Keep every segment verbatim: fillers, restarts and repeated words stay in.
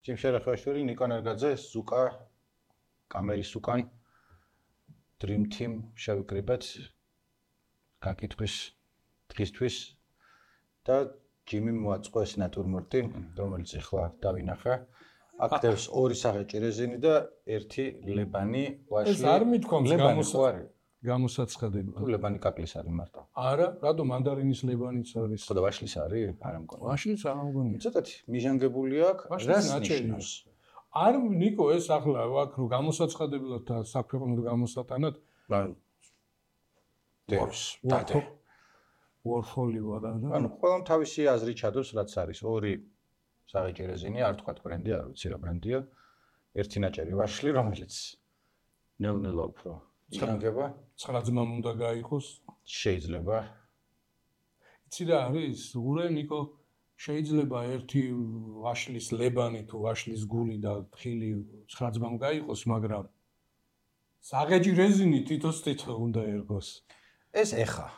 ჯიმ შერეხაშვილი, ნიკო ნერგაძე, ზუკა, კამერის უკან, Dream Team შევიკრიბეთ გაკითხვის დღისთვის და ჯიმი მოაწყო ეს ნატურმორტი, რომელიც ახლა დავინახა. აქტებს ორი სახეჭი რეზინი და ერთი ლებანი ვაშლი. ეს არ მithქვამს გამოსაცხადებელი. გამოსაცხადებელი. ლებანი კაკლის არის მარტო. არა, რატო მანდარინის ლებანიც არის? ხო და ვაშლის არის? არა მგონი. ვაშლის არ მგონი. ცოტათი მიჟანგებული აქვს. რას ნიშნავს? არ ნიკო ეს ახლა აქ რო გამოსაცხადებულად და საქვეყნოდ გამოსატანად დევს დადე. ვორფოლი ვარ და ანუ ყველამ თავისი აზრი ჩადოს რაც არის. ორი საღეჭი რეზინი, არ თქვა ბრენდი, არ ვიცი რა ბრენდია. ერთი ნაჭერი ვაშლი, რომელიც ნელ-ნელა უფრო იგანგება. ცხრა ძმამ უნდა გაიყოს. შეიძლება. იცი რა არის? ურე ნიკო შეიძლება ერთი ვაშლის ლებანი თუ ვაშლის გული და ხილი ცხრა ძმამ გაიყოს, მაგრამ საღეჭი რეზინი თითოს თითო უნდა ერგოს. ეს ეხა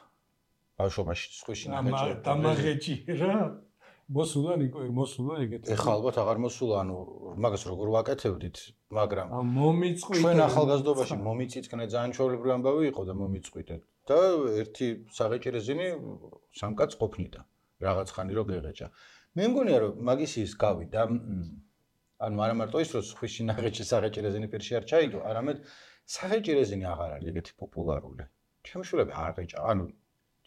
ბავშვობაში სხვიში ნახეჭი. დამაღეჭი რა. მოსულა ნიკო მოსულა ეგეთ ეხა ალბათ აღარ მოსულა ანუ მაგას როგორ ვაკეთებდით მაგრამ მომიწყვით ჩვენ ახალგაზრდობაში მომიწიწკნე ძალიან ჩვეულებრივი ამბავი იყო და მომიწყვიტეთ და ერთი საღეჭი რეზინი სამკაც ყოფნიდა რაღაც ხანი რო გეღეჭა მე მგონია რომ მაგის ის გავიდა ანუ არა მარტო ის რომ სხვიში ნახეჭი საღეჭი რეზინი პირში არ ჩაიდო არამედ საღეჭი რეზინი აღარ არის ეგეთი პოპულარული ჩემშულები არ ღეჭა ანუ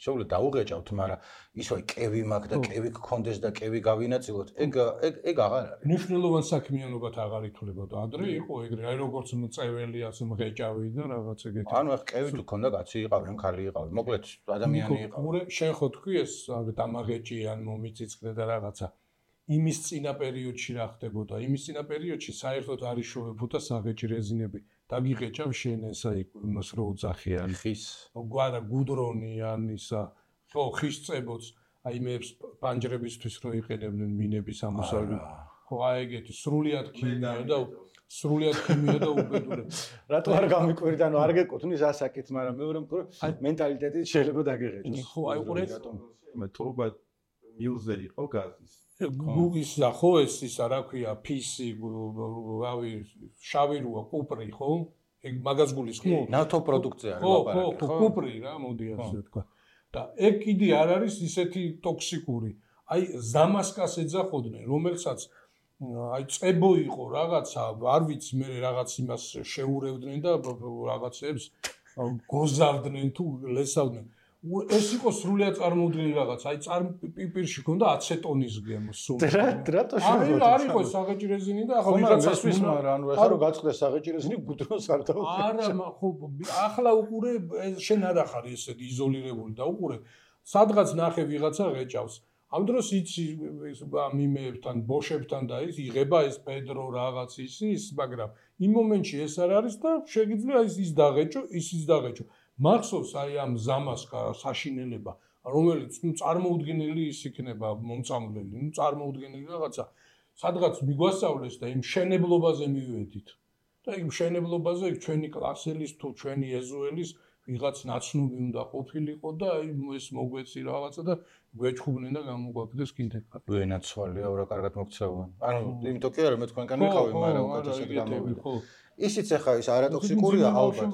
შეუძლია დაუღეჭავთ, მაგრამ ისო კევი მაქვს და კევი გქონდეს და კევი გავინაწილოთ. ეგ ეგ ეგ აღარ არის. მნიშვნელოვან საქმიანობად აღარ ითვლებოდა. ადრე იყო ეგრე, აი როგორც მწეველი ასე მღეჭავი და რაღაც ეგეთი. ანუ ახ კევი თუ ქონდა კაცი იყავენ, ხალი იყავენ. მოკლედ ადამიანი იყავენ. ურე შენ ხო თქვი ეს დამაღეჭი ან მომიწიწკნე და რაღაცა. იმის წინა პერიოდში რა ხდებოდა? იმის წინა პერიოდში საერთოდ არ იშოვებოდა საღეჭი რეზინები. დაგიღეჭავ შენ ესა იმას რო უძახიან ხის გვარა გუდრონი ან ისა ხო ხის წებოც აი მე პანჯრებისთვის რო იყენებდნენ მინების ამოსავალი ხო აი ეგეთი სრულიად ქიმია და სრულიად ქიმია და უბედური რატო არ გამიკვირდა ანუ არ გეკუთვნის ასაკით მაგრამ მეორე მხრივ მენტალიტეტით შეიძლება დაგიღეჭოს ხო აი ყურე მე თორბა მილზე იყო გაზის გუგის ხო ეს ისა რა ქვია ფისი რავი შავი როა კუპრი ხო ეგ მაგას გulis ხო ნავთო პროდუქცია რა ლაპარაკი ხო ხო კუპრი რა მოდი ასე თქვა და ეგ კიდე არ არის ისეთი ტოქსიკური აი ზამასკას ეძახოდნენ რომელსაც აი წებო იყო რაღაცა არ ვიცი მე რაღაც იმას შეურევდნენ და რაღაცებს გოზავდნენ თუ ლესავდნენ ეს იყო სრულიად წარმოუდგენელი რაღაც. აი წარ პიპირში ქონდა აცეტონის გემო სულ. რა რატო შეიძლება? არ იყო საღეჭი რეზინი და ახლა ვიღაცას მისმარა, ანუ ეხლა რო გაწყდეს საღეჭი რეზინი გუდრონს არ დავუყურე. არა, ხო, ახლა უყურე შენ არ ახარ ესეთი იზოლირებული და უყურე სადღაც ნახე ვიღაცა ღეჭავს. ამ დროს იცი მიმეებთან, ბოშებთან და ის იღება ეს პედრო რაღაც ის ის, მაგრამ იმ მომენტში ეს არ არის და შეგიძლია ის ის დაღეჭო, ის ის დაღეჭო. მახსოვს აი ამ ზამასკა საშინელება რომელიც ნუ წარმოუდგენელი ის იქნება მომწამლელი ნუ წარმოუდგენელი რაღაცა სადღაც მიგვასწავლეს და იმ შენებლობაზე მივედით და იმ შენებლობაზე ჩვენი კლასელის თუ ჩვენი ეზოელის ვიღაც ნაცნობი უნდა ყოფილიყო და აი ეს მოგვეცი რაღაცა და გვეჩხუბნენ და გამოგვაკეთეს კინთეკა ვენაცვალია რა კარგად მოგცევან ანუ იმიტომ კი არა მე თქვენგან ვიყავი მაგრამ უკეთესად გამოვიდა ისიც ახლა ის არატოქსიკურია ალბათ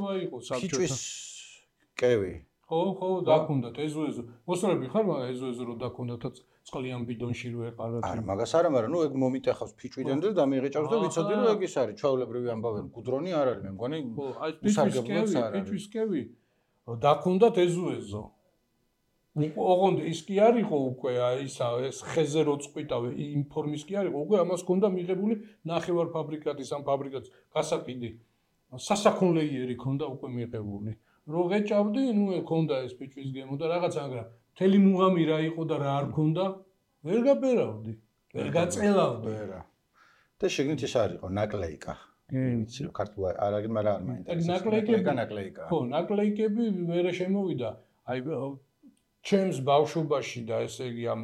ფიჭვის კევი. ხო, ხო, დაქუნდათ ეზო-ეზო. მოსწრები ხარ, მაგრამ ეზო-ეზო რო დაქუნდათ წყლიან ბიდონში რო ეყარათ. არა, მაგას არა, მაგრამ ნუ ეგ მომიტეხავს ფიჭვიდან და დამიღეჭავს და ვიცოდი რომ ეგ ის არის, ჩვეულებრივი ამბავი, გუდრონი არ არის, მე მგონი. ხო, აი ფიჭვის კევი, ფიჭვის კევი. დაქუნდათ ეზო-ეზო. ოღონდ ის კი არისო უკვე აი ისა ეს ხეზე რო წყვიტავე იმ ფორმის კი არისო, უკვე ამას ჰქონდა მიღებული ნახევარ ფაბრიკატის ამ ფაბრიკატის გასაკიდი. სასაქონლეიერი ჰქონდა უკვე მიღებული. რო ღეჭავდი, ნუ ქონდა ეს ფიჭვის გემო და რაღაც მაგრამ მთელი მუღამი რა იყო და რა არ ქონდა, ვერ გაბერავდი, ვერ გაწელავდი. ვერა. და შეგნით ის არ იყო ნაკლეიკა. ვიცი რომ ქართულად არ არის, მაგრამ არ მაინტერესებს. ნაკლეიკები ნაკლეიკა. ხო, ნაკლეიკები მერე შემოვიდა. აი ჩემს ბავშვობაში და ესე იგი ამ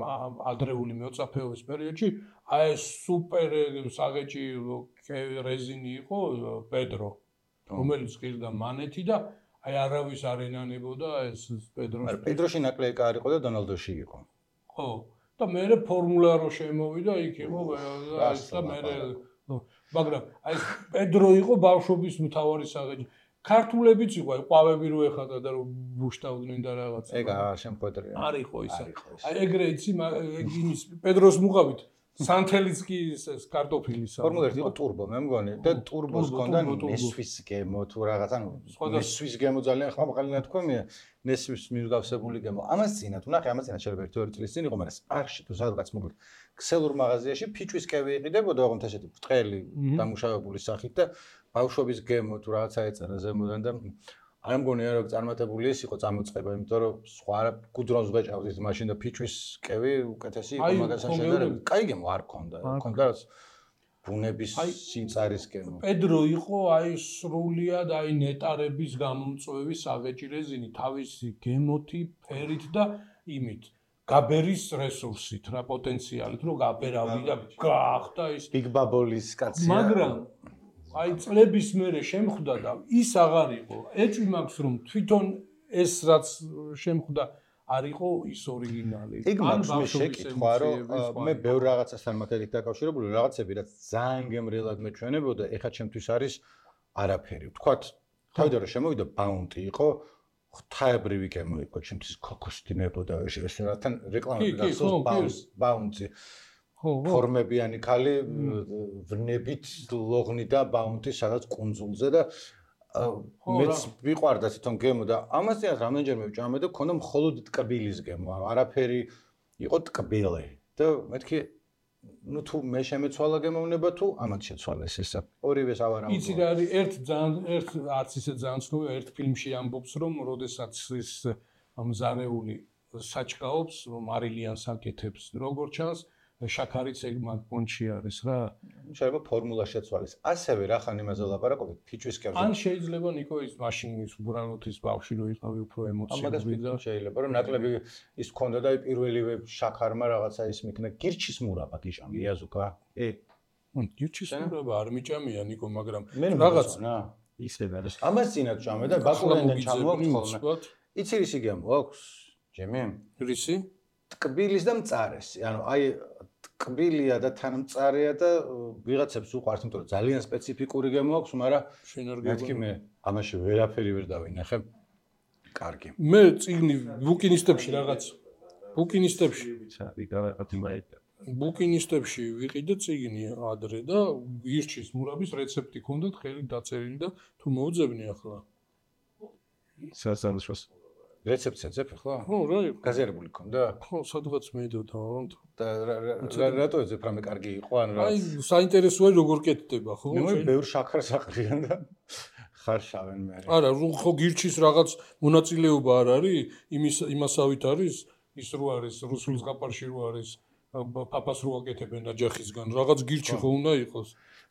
ადრეული მეოწაფეობის პერიოდში აი ეს სუპერ საღეჭი რეზინი იყო პედრო, რომელიც ღირდა მანეთი და აი არავის არ ენანებოდა ეს პედროს. მაგრამ პედროში ნაკლეიკა არ იყო და დონალდოში იყო. ხო. და მერე ფორმულა რო შემოვიდა იქ იყო და ეს და მერე მაგრამ აი პედრო იყო ბავშვობის მთავარი საღები. ქართულებიც იყო, აი ყვავები რო ეხადა და რო ბუშტავდნენ და რაღაც. ეგ შემხვედრია. არ იყო ისა. აი ეგრე იცი იმის პედროს მუყავით სანთელიც კი ეს კარტოფილის. ფორმულა ერთი იყო ტურბო, მე მგონი და ტურბოს ჰქონდა ნესვის გემო თუ რაღაც, ანუ ნესვის გემო ძალიან ხმამაღალი თქვენია, ნესვის მიუგავსებული გემო. ამას წინათ, ნახე, ამას წინათ შეიძლება ერთი ორი წლის წინ იყო, მაგრამ არში თუ სადღაც მოკლედ ქსელურ მაღაზიაში ფიჭვის კევი იყიდებოდა, ოღონდ ესეთი ბრტყელი დამუშავებული სახით და ბავშვობის გემო თუ რაღაცა ეწერა ზემოდან და არ მგონია რომ წარმატებული ის იყო წამოწყება, იმიტომ რომ სხვა გუდრონს ვეჭავდით მაშინ და ფიჭვის კევი უკეთესი იყო მაგასთან შედარებით. კაი გემო არ ქონდა, ქონდა რაც ბუნების სინწარის გემო. პედრო იყო აი სრულიად აი ნეტარების გამომწვევი საღეჭი რეზინი, თავისი გემოთი, ფერით და იმით. გაბერის რესურსით, რა პოტენციალით, რომ გაბერავდი და გაახდა ის ბიგ ბაბოლის კაცია. მაგრამ აი წლების მერე შემხვდა და ის აღარ იყო. ეჭვი მაქვს რომ თვითონ ეს რაც შემხვდა არ იყო ის ორიგინალი. იქ მაქვს მე შეკითხვა რომ მე ბევრ რაღაცასთან მაგალითად დაკავშირებული რაღაცები რაც ძალიან გემრიელად მეჩვენებოდა, ეხლა ჩემთვის არის არაფერი. ვთქვათ, თავიდან რომ შემოვიდა ბაუნტი იყო, ღვთაებრივი გემო იყო, ჩემთვის ქოქოსდინებოდა ეს რათან რეკლამები გახსოვს ბაუნტი. ფორმებიანი ქალი ვნებით ლოღნი და ბაუნტი სადაც კუნძულზე და მეც ვიყვარდა თვითონ გემო და ამასთან რამდენჯერმე ვჭამე და მქონდა მხოლოდ ტკბილის გემო, არაფერი იყო ტკბილი და მეთქი ნუ თუ მე შემეცვალა გემოვნება თუ ამათ შეცვალეს ესა ორივეს ავარავდა. იცი რა არის ერთ ძალიან ერთ არც ისე ძალიან ცნობილი ერთ ფილმში ამბობს რომ როდესაც ის მზარეული საჭკაობს მარილიანს აკეთებს როგორც ჩანს შაქარიც ეგ მაგ პონჩი არის რა. შეიძლება ფორმულა შეცვალეს. ასევე რა ხან იმაზე ლაპარაკობთ ფიჭვის კევზე. ან შეიძლება ნიკო ის მაშინ ის უბრალოდ ის ბავშვი რო იყავი უფრო ემოციები და შეიძლება რომ ნაკლები ის ქონდა და პირველივე შაქარმა რაღაცა ის მიქნა გირჩის მურაბა გიჟამი იაზუკა. ე გირჩის მურაბა არ მიჭამია ნიკო მაგრამ რაღაც ისე არის. ამას წინათ ჭამე და ბაკურენიდან ჩამოვაქვს ხოლმე. იცი რისი გემო აქვს? ჯემი? რისი? ტკბილის და მწარესი. ანუ აი ტკბილია და თან მწარეა და ვიღაცებს უყვართ, იმიტომ რომ ძალიან სპეციფიკური გემო აქვს, მაგრამ მეთქი მე ამაში ვერაფერი ვერ დავინახე. კარგი. მე წიგნი ბუკინისტებში რაღაც ბუკინისტებში ბუკინისტებში ვიყიდე წიგნი ადრე და გირჩის მურაბის რეცეპტი ქონდათ ხელი დაწერილი და თუ მოუძებნი ახლა სასალაშოს რეცეპტს ეძებ ახლა? ხო, რა იყო? გაზიარებული ქონდა? ხო, სადღაც მედოდა, და რატო ეძებ რამე კარგი იყო ან რა? აი, საინტერესოა როგორ კეთდება, ხო? მე ბევრ შაქარს აყრიან და ხარშავენ მე. არა, ხო გირჩის რაღაც მონაწილეობა არ არის? იმის იმასავით არის, ის რო არის რუსულ ზღაპარში რო არის პაპას რო აკეთებენ აჯახისგან, რაღაც გირჩი ხო უნდა იყოს.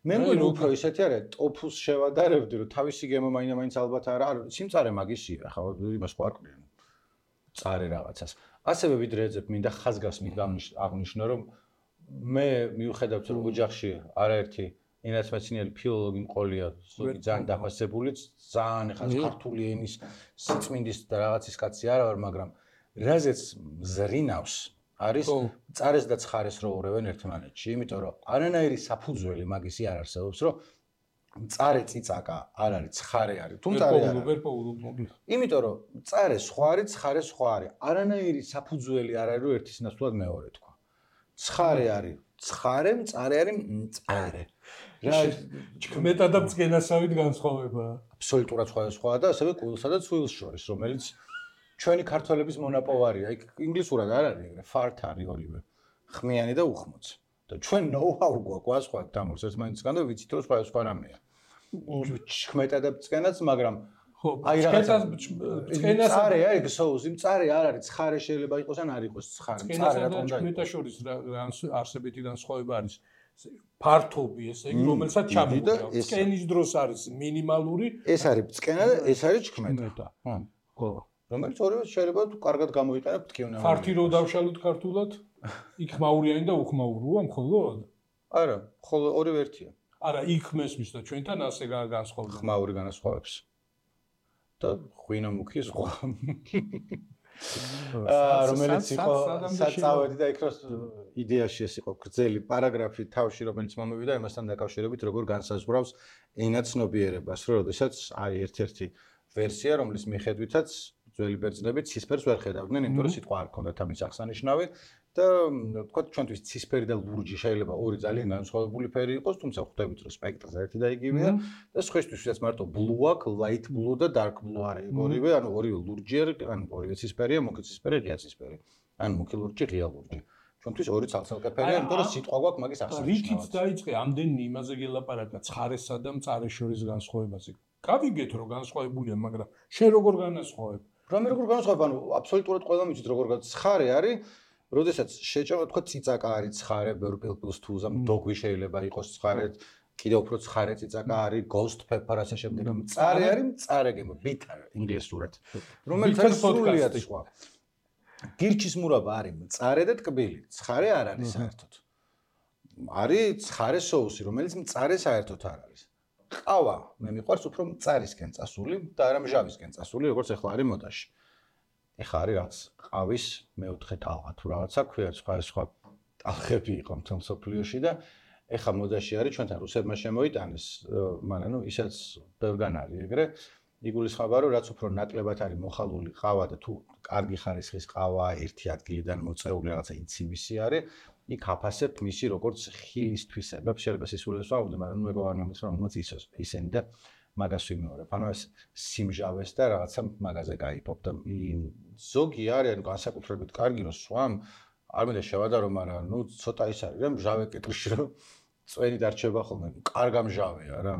მე მგონი უფრო ისეთი არა, ტოფუს შევადარებდი, რომ თავისი გემო მაინდა-მაინც ალბათ არა, არ სიმწარე მაგისია, ხო, იმას ხო არ ყვიან. წარე რაღაცას. ასევე ვიდრე ეძებ, მინდა ხაზგასმით აღნიშნო, რომ მე მიუხედავად რომ ოჯახში არაერთი ენათმეცნიერი ფილოლოგი მყოლია, ძალიან დაფასებული, ძალიან ეხლა ქართული ენის სიწმინდის და რაღაცის კაცი არა ვარ, მაგრამ რაზეც ზრინავს არის წარეს და ცხარეს რო ურევენ ერთმანეთში, იმიტომ რომ არანაირი საფუძველი მაგისი არ არსებობს, რომ წარე წიწაკა არ არის, ცხარე არის, თუ წარე არ არის. იმიტომ რომ წარე სხვა არის, ცხარე სხვა არის. არანაირი საფუძველი არ არის, რომ ერთის ნაცვლად მეორე თქვა. ცხარე არის, ცხარე, წარე არის, წარე. რა მეტად და წგენასავით განსხვავებაა. აბსოლუტურად სხვადასხვაა და ასევე კულსა და ცვილს შორის, რომელიც ჩვენი ქართველების მონაპოვარია. იქ ინგლისურად არ არის ეგრე, ფარტ არის ორივე. ხმიანი და უხმოც. და ჩვენ ნოუ-ჰაუ გვაქვს სხვა დამორს ერთმანეთისგან და ვიცით რომ სხვა სხვა რამეა. ჩხმეტა და წკენაც, მაგრამ ხო, აი რაღაცა წკენას წარეა ეგ სოუსი, წარე არ არის, ცხარე შეიძლება იყოს ან არ იყოს ცხარე. წარე რა თქმა უნდა. ჩხმეტა შორის რა არსებითი განსხვავება არის. ფართობი ესე იგი, რომელსაც ჩამოგვიდა. წკენის დროს არის მინიმალური. ეს არის წკენა და ეს არის ჩხმეტა. ხო. რომელიც ორივე შეიძლება თუ კარგად გამოიყენებთ თქვენ. ფართი რო დავშალოთ ქართულად, იქ ხმაურიანი და უხმაუროა მხოლოდ? არა, ხოლო ორივე ერთია. არა, იქ მესმის და ჩვენთან ასე განსხვავდება. ხმაური განასხვავებს. და ღვინო მუქი სხვა. რომელიც იყო საწავედი და იქ რო იდეაში ეს იყო გრძელი პარაგრაფი თავში რომელიც მომივიდა იმასთან დაკავშირებით როგორ განსაზღვრავს ენაცნობიერებას რომ როდესაც არის ერთ-ერთი ვერსია რომლის მიხედვითაც ძველი ბერძნები ცისფერს ვერ ხედავდნენ იმიტომ რომ სიტყვა არ ჰქონდათ ამის აღსანიშნავი და თქვა ჩვენთვის ცისფერი და ლურჯი შეიძლება ორი ძალიან განსხვავებული ფერი იყოს თუმცა ხვდებით რომ სპექტრზე ერთი და იგივეა და სხვისთვის ვისაც მარტო blue აქვს light blue და dark blue არის ორივე ანუ ორივე ლურჯი არის ანუ ორივე ცისფერია მუქი ცისფერი ღია ცისფერი ან მუქი ლურჯი ღია ლურჯი ჩვენთვის ორი ცალ-ცალკეფერია იმიტომ რომ სიტყვა გვაქვს მაგის აღსანიშნავად რითიც დაიწყე ამდენი იმაზე გელაპარაკა ცხარესა და მწარეს შორის განსხვავებაზე გავიგეთ რომ განსხვავებულია მაგრამ შენ როგორ განასხვავებ რომ როგორ განსხვავებ ანუ აბსოლუტურად ყველა მიცით როგორ ცხარე არის როდესაც შეჭამა თქვა ციცაკა არის ცხარე ბევრ პილპილს თუ ზამ დოგვი შეიძლება იყოს ცხარე კიდევ უფრო ცხარე ციცაკა არის ghost pepper ასე შემდეგ მწარე არის მწარე გემო bitter ინგლისურად რომელიც არის სრულიად სხვა გირჩის მურაბა არის მწარე და ტკბილი ცხარე არ არის საერთოდ არის ცხარე соуსი რომელიც მწარე საერთოდ არ არის ყავა მე მიყვარს უფრო მწარისკენ წასული და არა მჟავისკენ წასული როგორც ახლა არის მოდაში ეხა არის რაც ყავის მეოთხე ტალღა თუ რაღაცა ქვია სხვა სხვა ტალღები იყო მთელ სოფლიოში და ეხა მოდაში არის ჩვენთან რუსებმა შემოიტანეს მაგრამ ნუ ისაც ბევრგან არის ეგრე იგულისხმება რომ რაც უფრო ნაკლებად არის მოხალული ყავა და თუ კარგი ხარისხის ყავა ერთი ადგილიდან მოწეული რაღაცა ინცივისი არის იქ აფასებთ მისი როგორც ხილის თვისებებს შეიძლება სისულელს ვაუბრდე მაგრამ ნუ ეგ არ მომის რომ მოც ისოს ისენი და მაგას ვიმეორებ. ანუ ეს სიმჟავეს და რაღაცა მაგაზე გაიფობ და ზოგი არის ანუ განსაკუთრებით კარგი რომ სვამ არ მინდა შევადარო, მაგრამ ნუ ცოტა ის არის რა მჟავე კეთილში რომ წვენი დარჩება ხოლმე. კარგა მჟავეა რა.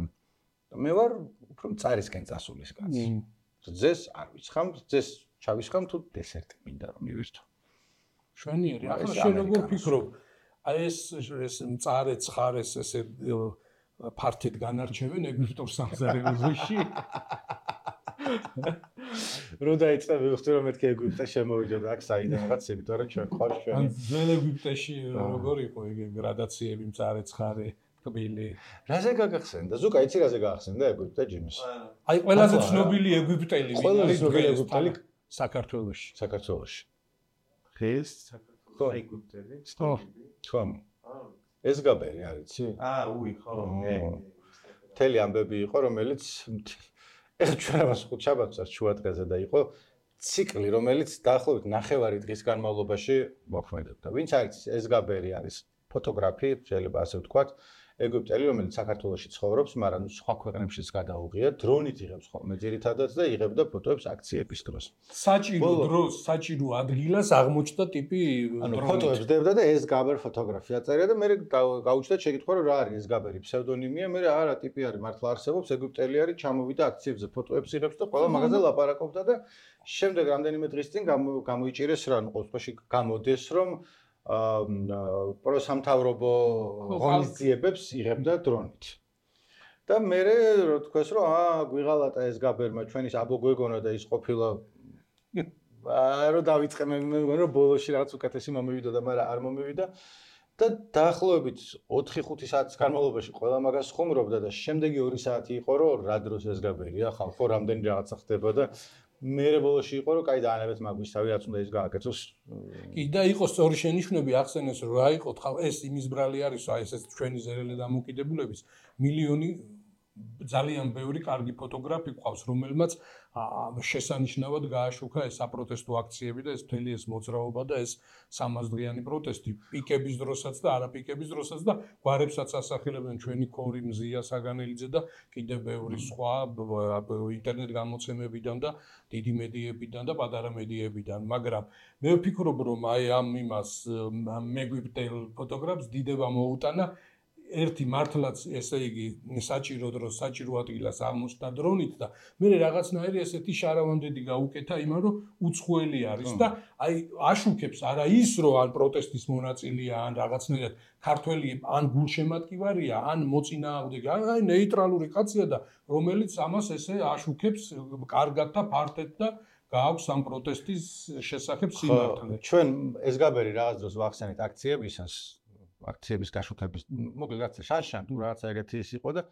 მე ვარ უფრო მწარისკენ წასულის კაცი. ძეს არ ვიცხამ, ძეს ჩავისხამ თუ დესერტი მინდა რომ მივირთო. შვენიერი. ახლა შენ როგორ ფიქრობ? აი ეს ეს მწარე ცხარეს ესე ფართედ განარჩევენ ეგვიპტურ სამზარეულოში. რო დაიწყე ვიხდი რომ მეთქე ეგვიპტე შემოვიდოდა აქ საიდან რაღაც იმიტომ რომ ჩვენ ხარ ჩვენ. ძველ ეგვიპტეში როგორ იყო ეგ გრადაციები მწარე ცხარე კბილი. რაზე გაგახსენდა? ზუკა იცი რაზე გაგახსენდა ეგვიპტე ჯიმის? აი ყველაზე ცნობილი ეგვიპტელი ვინ არის ძველი ეგვიპტელი საქართველოში. საქართველოში. ხეს საქართველოს ეგვიპტელი? ხო. ხო. ეს გაბერი არის, იცი? აა, უი, ხო. მთელი ამბები იყო, რომელიც ეხლა ჩვენ ამას ხუთ შაბათს შუადღეზე და იყო ციკლი, რომელიც დაახლოებით ნახევარი დღის განმავლობაში მოქმედებდა. ვინც არის ეს გაბერი არის ფოტოგრაფი, შეიძლება ასე ვთქვათ, ეგვიპტელი, რომელიც საქართველოში ცხოვრობს, მაგრამ სხვა ქვეყნებშიც გადაუღია, დრონით იღებს ხოლმე ძირითადად და იღებდა ფოტოებს აქციების დროს. საჭირო დროს, საჭირო ადგილას აღმოჩნდა ტიპი ანუ ფოტოებს დებდა და ეს გაბერ ფოტოგრაფი აწერია და მე გაუჩნდა შეკითხვა რომ რა არის ეს გაბერი ფსევდონიმია, მე არა ტიპი არის მართლა არსებობს, ეგვიპტელი არის, ჩამოვიდა აქციებზე ფოტოებს იღებს და ყველა მაგაზე ლაპარაკობდა და შემდეგ რამდენიმე დღის წინ გამოიჭირეს რა, ნუ ყოველ შემთხვევაში გამოდეს რომ პროსამთავრობო ღონისძიებებს იღებდა დრონით. და მე რო თქვეს რომ აა გვიღალატა ეს გაბერმა ჩვენის აბო გვეგონა და ის ყოფილა აა რო დავიწყე მე მეგონა რომ ბოლოში რაღაც უკეთესი მომივიდა და მაგრამ არ მომივიდა და დაახლოებით ოთხი ხუთი საათის განმავლობაში ყველა მაგას ხუმრობდა და შემდეგი ორი საათი იყო რომ რა დროს ეს გაბერია ხალხო რამდენი რაღაცა ხდება და მე ბოლოში იყო რომ კაი დაანებეთ მაგვისთავი რაც უნდა ის გააკეთოს. კი და იყო სწორი შენიშვნები ახსენეს რომ რა იყო ეს იმის ბრალი არის აი ეს ჩვენი ზერელი დამოკიდებულების მილიონი ძალიან ბევრი კარგი ფოტოგრაფი ყავს რომელმაც შესანიშნავად გააშუქა ეს საპროტესტო აქციები და ეს მთელი ეს მოძრაობა და ეს სამას დღიანი პროტესტი პიკების დროსაც და არა პიკების დროსაც და გვარებსაც ასახელებენ ჩვენი ქორი მზია საგანელიძე და კიდევ ბევრი სხვა ინტერნეტ გამოცემებიდან და დიდი მედიებიდან და პატარა მედიებიდან მაგრამ მე ვფიქრობ რომ აი ამ იმას მეგვიპტელ ფოტოგრაფს დიდება მოუტანა ერთი მართლაც ესე იგი საჭირო დროს საჭირო ადგილას აღმოჩნდა დრონით და მე რაღაცნაირი ესეთი შარავანდედი გაუკეთა იმან რომ უცხოელი არის და აი აშუქებს არა ის რომ ან პროტესტის მონაწილეა ან რაღაცნაირად ქართველი ან გულშემატკივარია ან მოწინააღმდეგე აი ნეიტრალური კაცია და რომელიც ამას ესე აშუქებს კარგად და ფართედ და გააქვს ამ პროტესტის შესახებ სიმართლე. ჩვენ ეს გაბერი რაღაც დროს ვახსენეთ აქციებისას აქციების გაშუქების მოკლედ რაღაცა შანშან თუ რაღაცა ეგეთი ის იყო და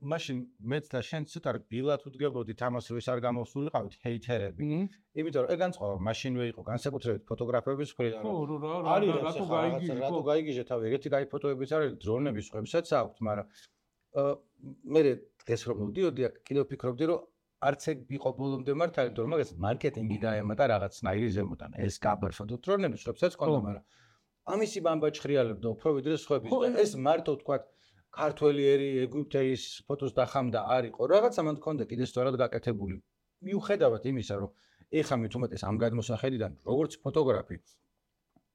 მაშინ მეც და შენ ცოტა ბილად უდგებოდით ამას რომ ეს არ გამოსულიყავით ჰეითერები. იმიტომ რომ ეგ განწყობა მაშინვე იყო განსაკუთრებით ფოტოგრაფების მხრიდან. ხო, რა, რა, არის რატო გაიგიჟე, რატო გაიგიჟე თავი, ეგეთი кай ფოტოებიც არის, დრონების ხვებსაც აქვთ, მაგრამ მე დღეს რომ მოვდიოდი აქ კიდევ ვფიქრობდი რომ არც ეგ იყო ბოლომდე მართალი, თორემ მაგას მარკეტინგი დაემატა რაღაცნაირი ზემოდან. ეს კაბერ ფოტო დრონების ხვებსაც ყავდა, მაგრამ ამისი ბამბა ჩხრიალებდა უფრო ვიდრე სხვების და ეს მარტო თქვათ ქართველი ერი ეგვიპტეის ფოტოს დახამდა არ იყო. რაღაცა მან თქონდა კიდე სწორად გაკეთებული. მიუხედავად იმისა, რომ ეხა მით უმეტეს ამ გადმოსახედიდან როგორც ფოტოგრაფი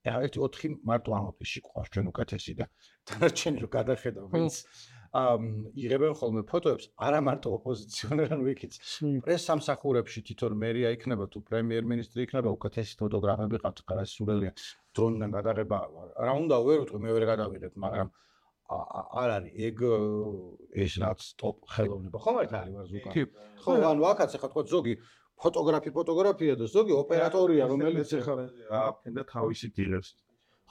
ეხა ერთი ოთხი მარტო ამ ოფისში ყავს ჩვენ უკეთესი და დანარჩენი რო გადახედავ ვინც იღებენ ხოლმე ფოტოებს არა მარტო ოპოზიციონერ ან ვიქიც პრეს სამსახურებში თვითონ მერია იქნება თუ პრემიერ-მინისტრი იქნება უკეთესი ფოტოგრაფები ყავთ ხარას სულელია დრონიდან გადაღება რა უნდა ვერ ვიტყვი მე ვერ გადავიღებ მაგრამ არ არის ეგ ეს რაც ტოპ ხელოვნება ხომ არ არის ვარზუკა ხო ანუ აქაც ახლა თქვა ზოგი ფოტოგრაფი ფოტოგრაფია და ზოგი ოპერატორია რომელიც ახლა აფენდა თავისი დილებს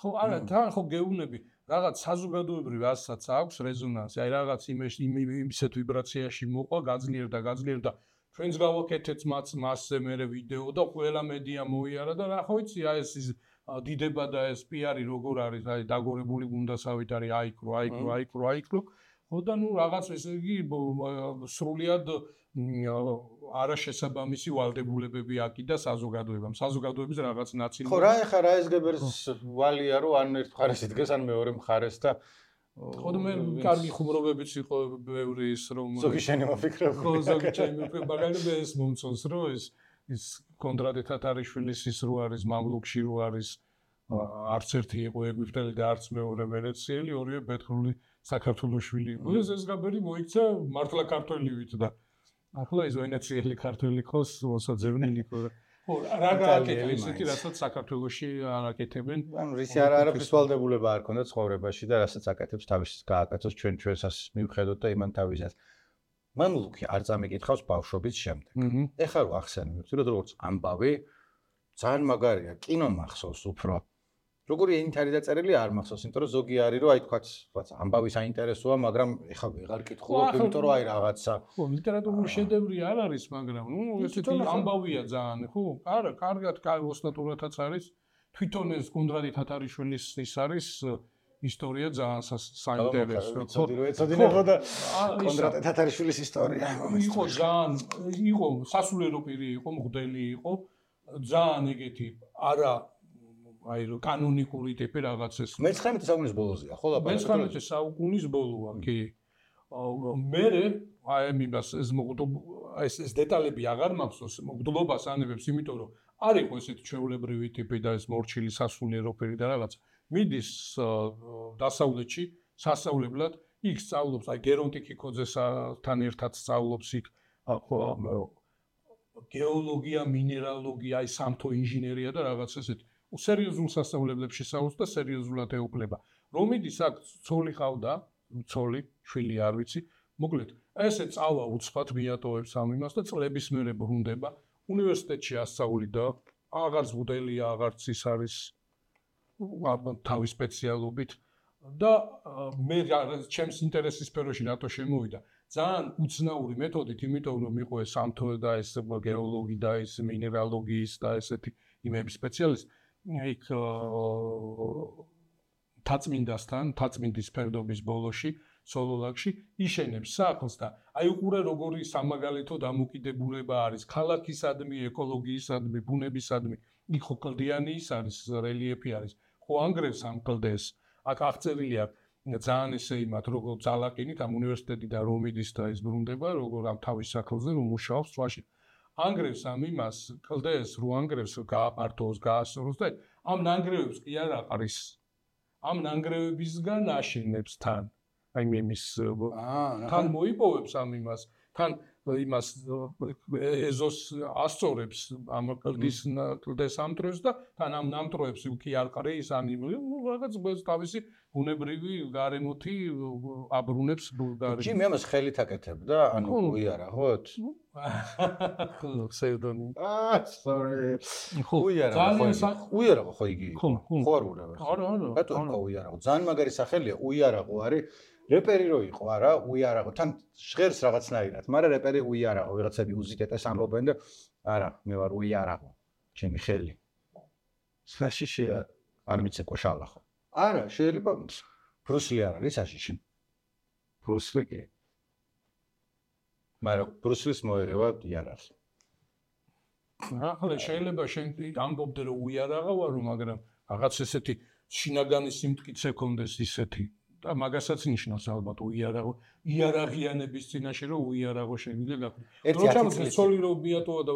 ხო არა თან ხო გეუბნები რაღაც საზოგადოებრივ ასაც აქვს რეზონანსი აი რაღაც იმეში იმისეთ ვიბრაციაში მოყვა გაძლიერდა გაძლიერდა ჩვენს გავაკეთეთ მასზე მე ვიდეო და ყველა მედია მოიარა და რა ხო იცი აი ეს დიდება და ეს პიარი როგორ არის აი დაგორებული გუნდასავით არის აიქრო აიქრო აიქრო აიქრო ხო და ნუ რაღაც ესე იგი სრულიად არაშესაბამისი ვალდებულებები აკიდა საზოგადოებამ საზოგადოების რაღაც ნაწილი ხო რა ეხა რა ეს გებერს ვალია რომ ან ერთ მხარეს იდგეს ან მეორე მხარეს და ხო და მე კარგი ხუმრობებიც იყო ბევრი ის რომ ზოგი შენი მოფიქრე ხო ზოგი ჩემი მაგალითად ეს მომწონს რომ ეს ის კონდრატე თათარიშვილის ის რო არის მამლუქში რო არის არც ერთი იყო ეგვიპტელი და არც მეორე ვენეციელი ორივე ბეთრული საქართველოშვილი იყო ეს ეს გაბერი მოიქცა მართლა ქართველივით და ახლა ის ვენეციელი ქართველი ხოს მოსაძევნილი ხო ხო რა გააკეთა ისეთი რასაც საქართველოში არ აკეთებენ ანუ რისი არა არაფრის ვალდებულება არ ქონდა ცხოვრებაში და რასაც აკეთებს თავის გააკეთოს ჩვენ ჩვენსას მივხედოთ და იმან თავისას მამლუქი არ წამიკითხავს ბავშვობის შემდეგ. ეხლა რო ახსენე, ვთქვი, როგორც ამბავი ძალიან მაგარია, კინო მახსოვს უფრო. როგორი ენით არის დაწერილი არ მახსოვს, იმიტომ რომ ზოგი არის რომ აი თქვა, ვაც ამბავი საინტერესოა, მაგრამ ეხლა ვეღარ კითხულობ, იმიტომ რომ აი რაღაცა. ხო, ლიტერატურული შედევრი არ არის, მაგრამ ნუ ესეთი ამბავია ძალიან, ხო? არა, კარგად, ოსტატურათაც არის. თვითონ ეს კონდრატი თათარიშვილის ის არის ისტორია ძალიან საინტერესო. ხო, ეცოდინებო და კონდრატე თათარიშვილის ისტორია. იყო ძალიან, იყო სასულიერო პირი იყო, მღვდელი იყო, ძალიან ეგეთი არა აი რო კანონიკური ტიპი რაღაც ეს. მეცხრამეტე საუკუნის ბოლოზეა, ხო და მეცხრამეტე საუკუნის ბოლოა, კი. მერე აი იმას ეს მოგდო ეს ეს დეტალები აღარ მახსოვს, მოგდლობას ანებებს, იმიტომ რომ არ იყო ესეთი ჩვეულებრივი ტიპი და ეს მორჩილი სასულიერო პირი და რაღაც. მიდის დასავლეთში სასწავლებლად იქ სწავლობს აი გერონტი კიკოძესთან ერთად სწავლობს იქ გეოლოგია მინერალოგია აი სამთო ინჟინერია და რაღაც ესეთი სერიოზულ სასწავლებლებში სწავლობს და სერიოზულად ეუფლება რომ მიდის აქ ცოლი ყავდა ცოლი შვილი არ ვიცი მოკლედ ესე წავა უცხოთ მიატოვებს ამ იმას და წლების მერე ბრუნდება უნივერსიტეტში ასწავლიდა აღარც მოდელია აღარც ის არის თავის სპეციალობით და მე ჩემს ინტერესის სფეროში რატო შემოვიდა ძალიან უცნაური მეთოდით იმიტომ რომ იყო ეს სამთო და ეს გეოლოგი და ეს მინერალოგიის და ესეთი იმების სპეციალისტი იქ თაწმინდასთან თაწმინდის ფერდობის ბოლოში სოლოლაკში იშენებს სახლს და აი უყურე როგორი სამაგალითო დამოკიდებულება არის ქალაქისადმი ეკოლოგიისადმი ბუნებისადმი იქ ხო კლდიანი ის არის რელიეფი არის ხო ანგრევს ამ კლდეს აქ აღწერილია ძალიან ესე იმათ როგორ ძალაკინით ამ უნივერსიტეტიდან რომ მიდის და ის ბრუნდება როგორ ამ თავის სახლზე რომ მუშაობს სვაში ანგრევს ამ იმას კლდეს რო ანგრევს გააპართოს გაასწოროს და ამ ნანგრევებს კი არ აყრის ამ ნანგრევებისგან აშენებს თან აი იმის თან მოიპოვებს ამ იმას თან იმას ეზოს ასწორებს ამ კლდის კლდეს ამტრებს და თან ამ ნამტროებს უკი არ ყრის ან ნუ რაღაც თავისი ბუნებრივი გარემოთი აბრუნებს ბულგარი. ჯი მე ამას ხელით აკეთებდა ანუ უიარაღოთ? ხო, ფსევდონიმი. აა, sorry. ხო, უიარაღო. უიარაღო ხო იგი? ხო, არ ურევ. არა, არა. რატო უიარაღო? ძალიან მაგარი სახელია, უიარაღო არის რეპერი რო იყო არა უიარაღო თან ჟღერს რაღაცნაირად მაგრამ რეპერი უიარაღო ვიღაცები უზიდეტეს ამბობენ და არა მე ვარ უიარაღო ჩემი ხელი საშიშია არ მიცეკვა შალახო არა შეიძლება ბრუსლი არ არის საშიში ბრუსლი კი მაგრამ ბრუსლის მოერევა იარაღი ახლა შეიძლება შენ ამბობდე რომ უიარაღა ვარო მაგრამ რაღაც ესეთი შინაგანი სიმტკიცე ქონდეს ისეთი და მაგასაც ნიშნავს ალბათ უიარაღო იარაღიანების წინაშე რომ უიარაღო შეგვიძლია გაქვთ როცა სოლი რო ბიატოა და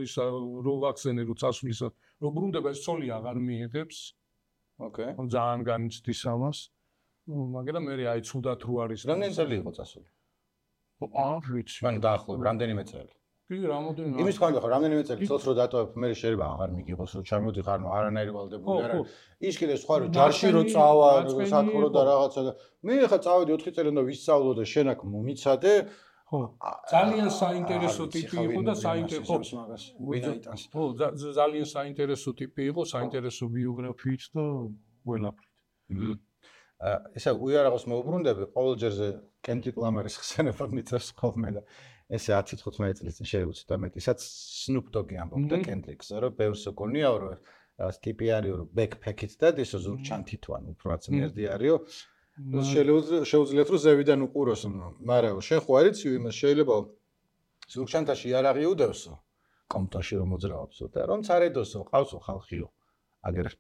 ისა რო ვაქცინე რო წასვლისა რო ბრუნდება ეს სოლი აღარ მიიღებს ოკეი ძალიან განიცდის ამას მაგრამ მე აი ცუდად რო არის რამდენი წელი იყო წასული არ ვიცი მან დაახლოებით რამდენიმე წელი კი რამოდენიმე იმის თქვა ხო რამდენიმე წელი წელს რო დატოვებ მე შეიძლება აღარ მიგიღოს რომ ჩამოდიხარ ნუ არანაირი ვალდებული არა ის კიდე სხვა რომ ჯარში რო წავა საქმრო და რაღაცა და მე ხა წავედი ოთხი წელი უნდა ვისწავლო და შენ აქ მომიცადე ხო ძალიან საინტერესო ტიპი იყო და საინტერესო ვინაიტანს ხო ძალიან საინტერესო ტიპი იყო საინტერესო ბიოგრაფიით და ყველაფრით ესა უიარაღოს მოუბრუნდები ყოველჯერზე კენტრიკ ლამარის ხსენება მიწევს ხოლმე და ესე ათი თხუთმეტი წლის წინ შეუცდა მეტისაც სნუპ დოგი ამბობდა კენტრიკზე რომ ბევრს გონიაო რომ რაღაც ტიპი არისო რომ ბექფეკით და ისო ზურგჩანთით ვან უფრო ძნერდი არისო შეუძლიათ რომ ზევიდან უყუროს მაგრამ შენ ხო არიცი იმას შეიძლება ზურგჩანთაში იარაღი უდევსო კომპტაში რომ მოძრაობსო და რომ წარედოსო ყავსო ხალხიო აგერ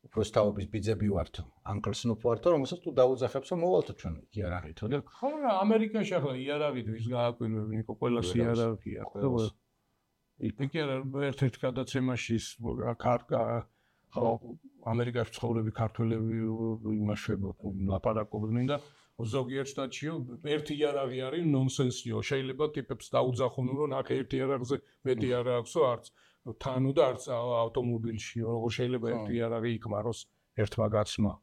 უბრალოდ თავის ბიძები ვართო ანკლს ნუ ვართო რომელსაც თუ დაუძახებსო მოვალთო ჩვენ იარაღითო და ხო რა ამერიკაში ახლა იარაღით ვის გააკვირვები ნიკო ყველას იარაღია ხო იქ არა ერთ-ერთ გადაცემაში კარტა ხო ამერიკაში ცხოვრები ქართველები იმაშვებო ლაპარაკობდნენ და ზოგიერთ შტატშიო ერთი იარაღი არის ნონსენსიო შეიძლება ტიპებს დაუძახონ რომ აქ ერთი იარაღზე მეტი არ აქვსო არც თანუ და არც ავტომობილში როგორ შეიძლება ერთი იარაღი იქმაროს ერთმა გაცმა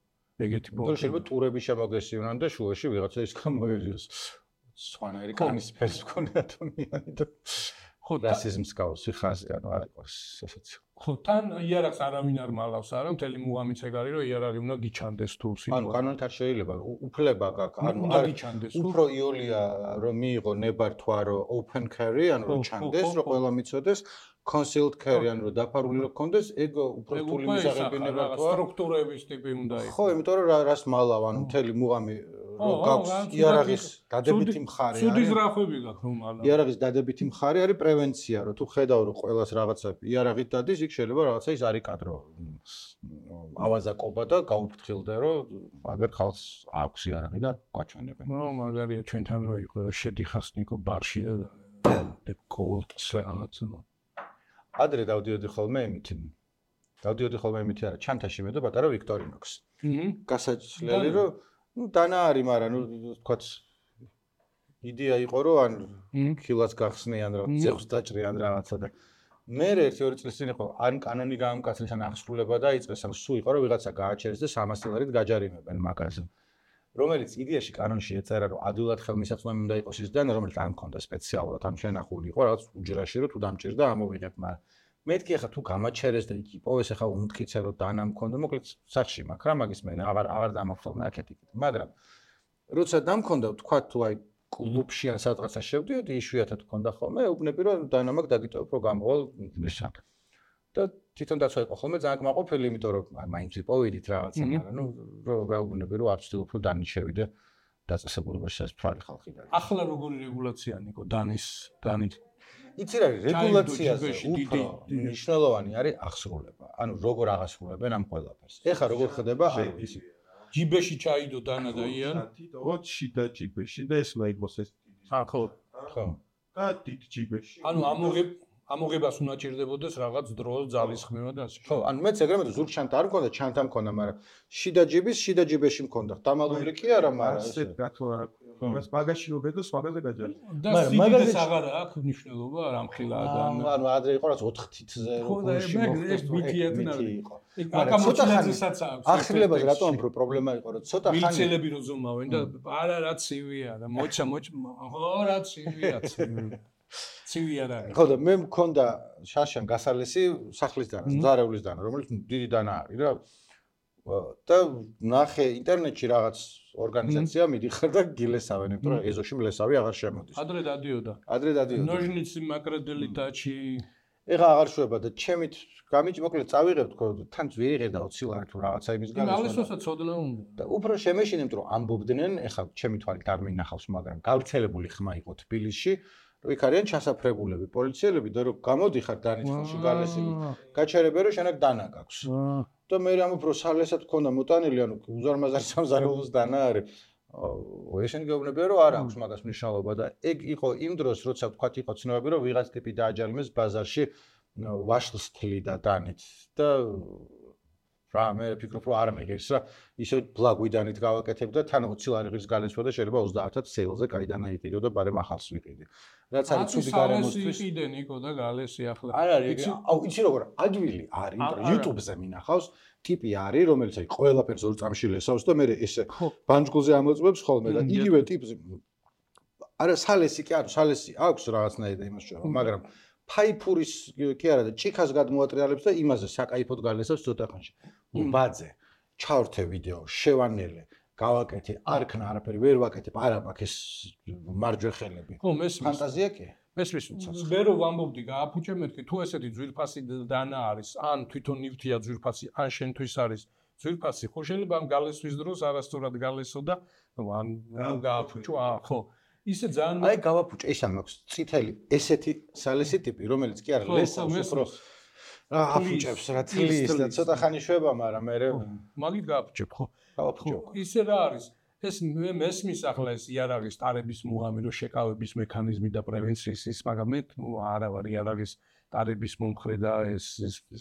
ეგეთი ბოლო შეიძლება ტურები შემოგესივნან და შუაში ვიღაცა ის გამოერიოს სხვანაირი კანის ფერს მქონდა ადამიანი და ხო რასიზმს გავსი ხაზი ანუ არ იყოს ესეც ხო თან იარაღს არავინ არ მალავს არა მთელი მუღამიც ეგ არის რომ იარაღი უნდა გიჩანდეს თუ სიტყვა ანუ კანონით არ შეიძლება უფლება გაქვს ანუ არ გიჩანდეს უფრო იოლია რომ მიიღო ნებართვარო open carry ანუ რომ ჩანდეს რომ ყველა მიცოდეს concealed carry ანუ რომ დაფარული რო გქონდეს ეგ უფრო რთული მისაღები ნებართვა სტრუქტურების ტიპი უნდა იყოს ხო იმიტომ რომ რას მალავ ანუ მთელი მუღამი რომ გაქვს იარაღის დადებითი მხარე არის სუდის რახვები გაქვს რომ მალავ იარაღის დადებითი მხარე არის პრევენცია რომ თუ ხედავ რომ ყველას რაღაცა იარაღით დადის იქ შეიძლება რაღაცა ის არის კადრო ავაზაკობა და გაუფრთხილდე რომ აგერ ხალხს აქვს იარაღი და გაჩვენებენ ნუ მაგარია ჩვენთან რო იყო შედიხას ნიკო ბარში და კოლ სლანაცნო ადრე დავდიოდი ხოლმე იმით დავდიოდი ხოლმე იმით არა ჩანთაში მე და პატარა ვიქტორინოქს გასაჩლელი რომ ну დანა არის მაგრამ ну თქვა იდეა იყო რომ ან ქილას გახსნიან რა ძეხს დაჭრიან რაღაცა და მე ერთი ორი წლის წინ იყო ან კანონი გაამკაცრეს ან აღსრულება დაიწყეს ან სულ იყო რომ ვიღაცა გააჩერეს და სამას დოლარით გაჯარიმებენ მაგაზე რომელიც იდეაში კანონში ეწერა რომ ადვილად ხელმისაწვდომი უნდა იყოს ის და რომელიც არ მქონდა სპეციალურად ან შენახული იყო რაღაც უჯრაში რომ თუ დამჭირდა ამოვიღებ მაგრამ მეთქი ახლა თუ გამაჩერეს და იქ იპოვეს ახლა უმტკიცე რომ დანა მქონდა მოკლედ სახში მაქვს რა მაგის მე აღარ აღარ დამახსოვნა აქეთ-იქ მაგრამ როცა დამქონდა თქვა თუ აი კლუბში ან სადღაცა შევდიოდი იშვიათად მქონდა ხოლმე უბნები რომ დანა მაგ დაგიტოვებ რომ გამოვალ მისაკ და თვითონ დაცვა იყო ხოლმე ძალიან კმაყოფილი იმიტომ რომ მაინც ვიპოვიდით რაღაცა მაგრამ ნუ რო გაუბნები რომ არ ვცდილობ რომ დანი შევიდე დაწესებულებაში სასწრაფი ხალხი და ახლა როგორი რეგულაცია ნიკო დანის დანით იცი რა რეგულაციაზე უფრო მნიშვნელოვანი არის აღსრულება ანუ როგორ აღასრულებენ ამ ყველაფერს ეხა როგორ ხდება არ ვიცი ჯიბეში ჩაიდო დანა და იან ოჩი და ჯიბეში და ეს მაიგოს ეს ხო ხო და დიდ ჯიბეში ანუ ამოღებ ამოღებას უნდა ჭირდებოდეს რაღაც დრო ძალის ხმევა და ასე ხო ანუ მეც ეგრევე ზურგჩანთა არ მქონდა ჩანთა მქონდა მაგრამ შიდა ჯიბის შიდა ჯიბეში მქონდა დამალული კი არა მაგრამ ასე გათვალა მას მაგაში რო ბედოს მაგაზე გაჯარი და სიდიდეს აღარა აქვს მნიშვნელობა არ ამხილა ანუ ანუ ადრე იყო რაც ოთხ თითზე რო გულში მოხდეს მითიათნა იყო აკამოჩინაძესაც აქვს ახსნილებაზე რატომ უფრო პრობლემა იყო რომ ცოტა ხანი მილიცელები რო ზომავენ და არა რა ცივია და მოჩა მოჩ ხო რა ცივია ცივი ცივი არ არის ხო და მე მქონდა შაშან გასალესი სახლის დანა ზარევლის დანა რომელიც დიდი დანა არის რა და ნახე ინტერნეტში რაღაც ორგანიზაცია მიდიხარ და გილესავენ, იმიტომ რომ ეზოში მლესავი აღარ შემოდის. ადრე დადიოდა. ადრე დადიოდა. ნოჟნიცი მაკრედელიტაჩი ეხა აღარ შვება და ჩემით გამიჭი მოკლედ წავიღებ თქო თან ვეღერ და ოცი ლარი თუ რაღაცა იმის გან ალისოსაც ცოდნა უნდა და უფრო შემეშინებ რომ ამბობდნენ ეხა ჩემი თვალით არ მინახავს მაგრამ გავრცელებული ხმა იყო თბილისში რომ იქ არიან ჩასაფრებულები პოლიციელები და რომ გამოდიხარ დანიწყოში გალესილი გაჩერებე რომ შენაკ დანა გაქვს და მე რამ უფრო სალესად გქონდა მოტანილი ანუ უზარმაზარი სამზარეულოს დანა არის ესენი გეუბნებიან რომ არ აქვს მაგას მნიშვნელობა და ეგ იყო იმ დროს როცა ვთქვათ იყო ცნობები რომ ვიღაც ტიპი დააჯალიმეს ბაზარში ვაშლს თლი და დანით და რა მე ვფიქრობ რომ არ მეგერს რა ისე ბლაგვიდანით გავაკეთებ და თან ოცი ლარი ღირს გალესვა და შეიძლება ოცდაათად სეილზე კაიდანა იყიდო და ბარემ ახალს ვიყიდი რაც არის ცუდი გარემოსთვის იყიდენ იქო და გალესი ახლა არ არის აუ იცი როგორ ადვილი არის YouTube-ზე მინახავს ტიპი არის რომელიც აი ყველაფერს ორ წამში ლესავს და მე ესე ბანჯგულზე ამოწმებს ხოლმე და იგივე ტიპზე არა სალესი კი არა სალესი აქვს რაღაცნაირად იმას შევ მაგრამ ფაიფურის კი არა და ჭიქას გადმოატრიალებს და იმაზე საკაიფოდ გალესავს ცოტა ხანში. ბაძე, ჩავრთე ვიდეო, შევანელე, გავაკეთე, არ ქნა არაფერი, ვერ ვაკეთებ, არა მაქვს ეს მარჯვეხელები. ხო, მესმის. ფანტაზია კი? მესმის უცას. მე რო ვამბობდი, გააფუჭე მეთქი, თუ ესეთი ძვირფასი დანა არის, ან თვითონ ნივთია ძვირფასი, ან შენთვის არის ძვირფასი, ხო შეიძლება ამ გალესვის დროს არასწორად გალესო და ან გააფუჭო, აა, ხო. ისე ძალიან აი გავაფუჭე ისა მაქვს წითელი ესეთი სალესი ტიპი რომელიც კი არა ლესავს უფრო რა აფუჭებს რა თლის და ცოტა ხანი შვება მაგრამ მე მაგით გააფუჭებ ხო გავაფუჭე ისე რა არის ეს მე მესმის ახლა ეს იარაღის ტარების მუღამი რო შეკავების მექანიზმი და პრევენციის ის მაგრამ მე არა ვარ იარაღის ტარების მომხრე და ეს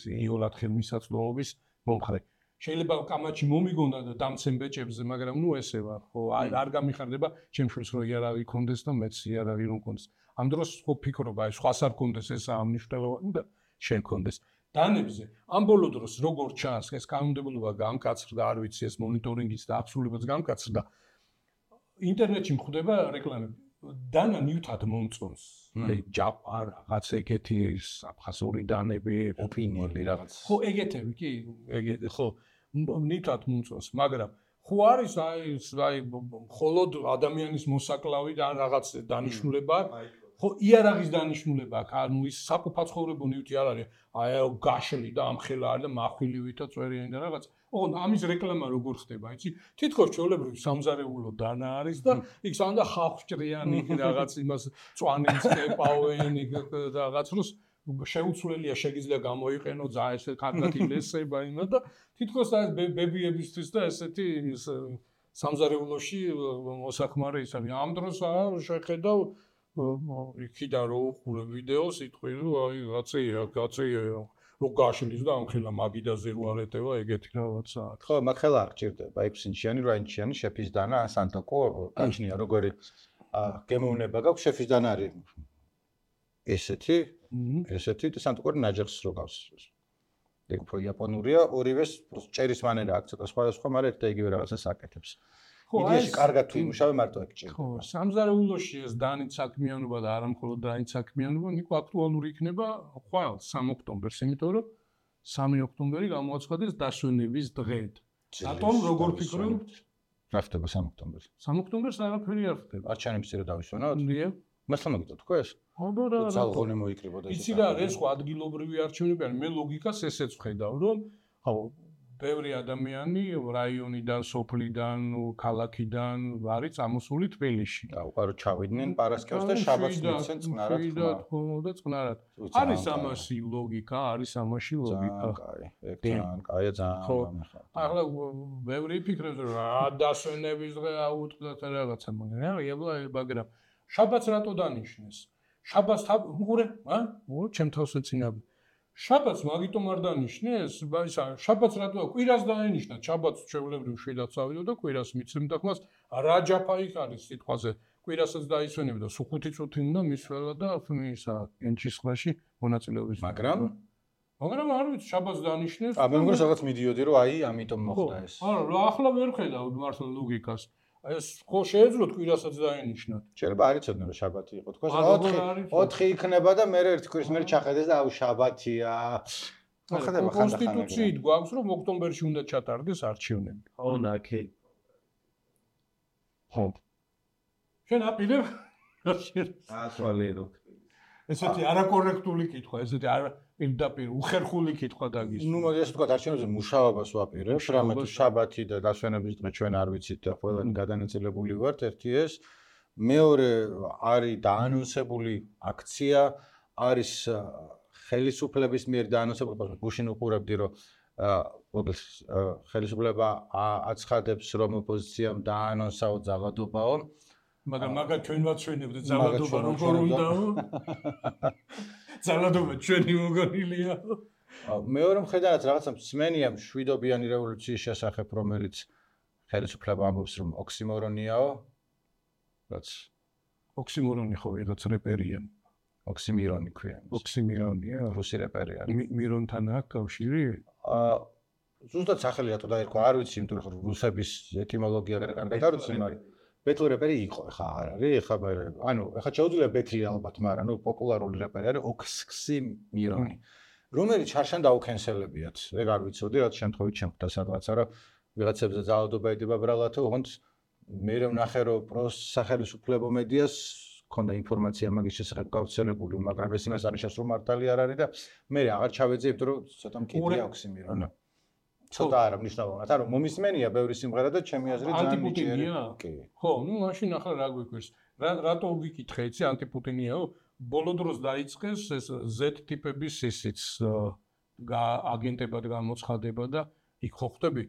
იოლად ხელმისაწვდომობის მომხრე შეიძლება კამაჩი მომიგონდა და დამცენ ბეჭებზე, მაგრამ ნუ ესე ვარ, ხო, არ გამიხარდება ჩემშვილს რომ იარაღი კონდეს და მეც იარაღი რომ კონდეს. ამ დროს ხო ფიქრობ, აი სხვას არ კონდეს ეს ამნიშნულოვანი და შენ კონდეს. დანებზე ამ ბოლო დროს როგორ ჩანს ეს კანონმდებლობა გამკაცრდა, არ ვიცი ეს მონიტორინგის და აბსოლუტურად გამკაცრდა. ინტერნეტში მხვდება რეკლამები. დანა ნიუთად მომწონს. აი ჯაპა რაღაც ეგეთი აფხაზური დანები, ოპინიები რაღაც. ხო, ეგეთები კი, ეგეთი ხო. ნიუთად მომწონს, მაგრამ ხო არის აი აი მხოლოდ ადამიანის მოსაკლავი და რაღაც დანიშნულება აქვს. ხო, იარაღის დანიშნულება აქვს. ანუ ის საკუფაცხოვრებო ნივთი არ არის. აი გაშლი და ამხელა არის და מחვილივითა წვერიანი და რაღაც. ოღონ ამის რეკლამა როგორ ხდება, იცი? თითქოს ჩვეულებრივი სამზარეულო დანა არის და იქ სანდა ხალხჭრიანი რაღაც იმას წვანინს ეპავენ რაღაც როს შეუცვლელია შეგიძლია გამოიყენო ძა ესე კარგად ილესება იმა და თითქოს აი ბებიებისთვის და ესეთი სამზარეულოში მოსახმარე ის არის. ამ დროს შეხედავ იქიდან რო უყურე ვიდეოს იტყვი რომ აი გაწეია, გაწეია რო გაშლის და ამხელა მაგიდაზე რო არეტევა ეგეთი რაღაცაა. ხო, მაგ ხელა არ გჭირდება. ექვსინჩიანი, რვაინჩიანი შეფის დანა, სანტოკო, გაჩნია როგორი გემოვნება გაქვს შეფის დანა არის. ესეთი, ესეთი და სანტოკო ნაჯახს რო გავს. ეგ უფრო იაპონურია, ორივეს ჭერის მანერა აქვს ცოტა სხვადასხვა, მაგრამ ერთ და იგივე რაღაცას აკეთებს. იდეაში კარგად თუ იმუშავე მარტო ეგ ჭირდება. ხო, სამზარეულოში ეს დანით საქმიანობა და არა მხოლოდ დანით საქმიანობა, ნიკო აქტუალური იქნება ხვალ სამ ოქტომბერს, იმიტომ რომ სამი ოქტომბერი გამოაცხადეს დასვენების დღედ. რატომ როგორ ფიქრობ? რა ხდება სამ ოქტომბერს? სამ ოქტომბერს არაფერი არ ხდება. არჩევნების წინ დავისვენოთ? დიახ. მასლა მოგიტო თქო ეს? აბა რა. ძალღონე მოიკრიბოდა ეს. იცი რა, ეს ხო ადგილობრივი არჩევნები არის. მე ლოგიკას ესეც ვხედავ, რომ ხო ბევრი ადამიანი რაიონიდან, სოფლიდან, ქალაქიდან არის წამოსული თბილისში. და უყარო ჩავიდნენ პარასკევს და შაბათს მიცენ წყნარად. ხო, და წყნარად. არის ამაში ლოგიკა, არის ამაში ლოგიკა. კაი, ეგ ძალიან კაია ძალიან გამეხა. ახლა ბევრი ფიქრობს რომ რა დასვენების დღე აუტყდათ რაღაცა, მაგრამ მაგრამ შაბათს რატო დანიშნეს? შაბათს უყურე, ა? უყურე, ჩემ თავს ეცინაბ. შაბათს მაგიტომ არ დანიშნეს, ისა შაბათს რატო კვირას დაენიშნა, შაბათს ჩვეულებრივ შვიდად წავიდო და კვირას მიცემდა ხმას, რა ჯაფა იქ არის სიტყვაზე, კვირასაც დაისვენებდა, სუხუთი წუთი უნდა მისვლა და ისა ენჩისხლაში მონაწილეობის. მაგრამ მაგრამ არ ვიცი, შაბათს დანიშნეს. ა მე მგონი რაღაც მიდიოდი რომ აი ამიტომ მოხდა ეს. არა, ახლა ვერ ხედავ მართლა ლოგიკას. ეს ხო შეეძლოთ კვირასაც დაენიშნათ. შეიძლება არ იცოდნენ რომ შაბათი იყო. თქოს ოთხი იქნება და მე ერთი კვირის მერე ჩახედეს და აუ შაბათია. მოხდება ხანდახან. კონსტიტუციით გვაქვს რომ ოქტომბერში უნდა ჩატარდეს არჩევნები. ხო, ნაკი. ხო. შენ აპირებ? ასვალერო. ესეთი არაკორექტული კითხვა, ესეთი არა პირდაპირ უხერხული კითხვა დაგის. ნუ მოდი ასე ვთქვათ, არჩევნებზე მუშაობას ვაპირებ, რამე თუ შაბათი და დასვენების დღე ჩვენ არ ვიცით და ყველანი გადანაწილებული ვართ, ერთი ეს. მეორე არის დაანონსებული აქცია, არის ხელისუფლების მიერ დაანონსებული, გუშინ უყურებდი, რომ ხელისუფლება აცხადებს, რომ ოპოზიციამ დაანონსაო ძალადობაო. მაგრამ მაგა ჩვენ ვაცვენებთ ძალადობა როგორ უნდაო? ძალადობა ჩვენი მოგონილია. მეორე მხედარად რაღაცა მსმენია მშვიდობიანი რევოლუციის შესახებ, რომელიც ხელისუფლება ამბობს, რომ ოქსიმორონიაო. რაც ოქსიმორონი ხო ვიღაც რეპერია. ოქსიმირონი ქვია. ოქსიმირონია, რუსი რეპერი არის. მირონთან აქვს კავშირი? აა ზუსტად სახელი რატო დაერქვა, არ ვიცი, იმიტომ რომ რუსების ეტიმოლოგია კარგად არ ვიცი, მაგრამ ბეთლ რეპერი იყო, ხა არ არის, ხა ანუ ხა შეუძლია ბეთლი ალბათ, მაგრამ ნუ პოპულარული რეპერი არის ოქსიმირონი. რომელიც შარშან დაუქენსელებიათ. ეგ არ ვიცოდი, რაც შემთხვევით შემხვდა სადღაცა, რომ ვიღაცებზე ძალადობა ედება ბრალათო, ოღონდ მე ვნახე, რომ პროსახელისუფლებო მედიას ქონდა ინფორმაცია მაგის შესახებ გავრცელებული, მაგრამ ეს იმას არის რომ მართალი არ არის და მე აღარ ჩავეძე, იმიტომ რომ ცოტა მკიდია ოქსიმირონი. ცოტა არა მნიშვნელოვნად, ანუ მომისმენია ბევრი სიმღერა და ჩემი აზრით ძალიან მიჭიერი. კი. ხო, ნუ მაშინ ახლა რა გვიქვირს? რატო ვიკითხე იცი ანტიპუტინიაო? ბოლო დროს დაიწყეს ეს Z ტიპების ისიც აგენტებად გამოცხადება და იქ ხო ხვდები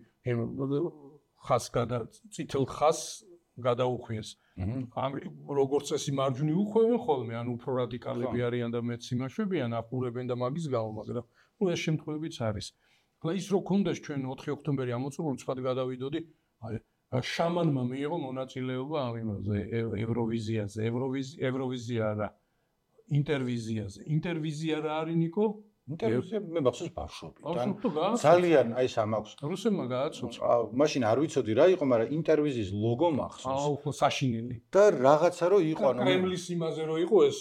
ხას გადა წითელ ხას გადაუხვიეს. ამ როგორც წესი მარჯვნი უხვევენ ხოლმე, ან უფრო რადიკალები არიან და მეც იმაშვებიან, აფურებენ და მაგის გამო, მაგრამ ნუ ეს შემთხვევებიც არის. ახლა ის რო ქონდეს ჩვენ ოთხი ოქტომბერი ამოწურული, სხვა გადავიდოდი, შამანმა მიიღო მონაწილეობა ამ იმაზე, ევროვიზიაზე, ევროვიზია არა, ინტერვიზიაზე. ინტერვიზია რა არის ნიკო? ინტერვიზია მე მახსოვს ბავშვობიდან. ძალიან აი სამ აქვს. რუსებმა გააცოცა. მაშინ არ ვიცოდი რა იყო, მაგრამ ინტერვიზიის ლოგო მახსოვს. აუ, ხო საშინელი. და რაღაცა რო იყო, ანუ კრემლის იმაზე რო იყო ეს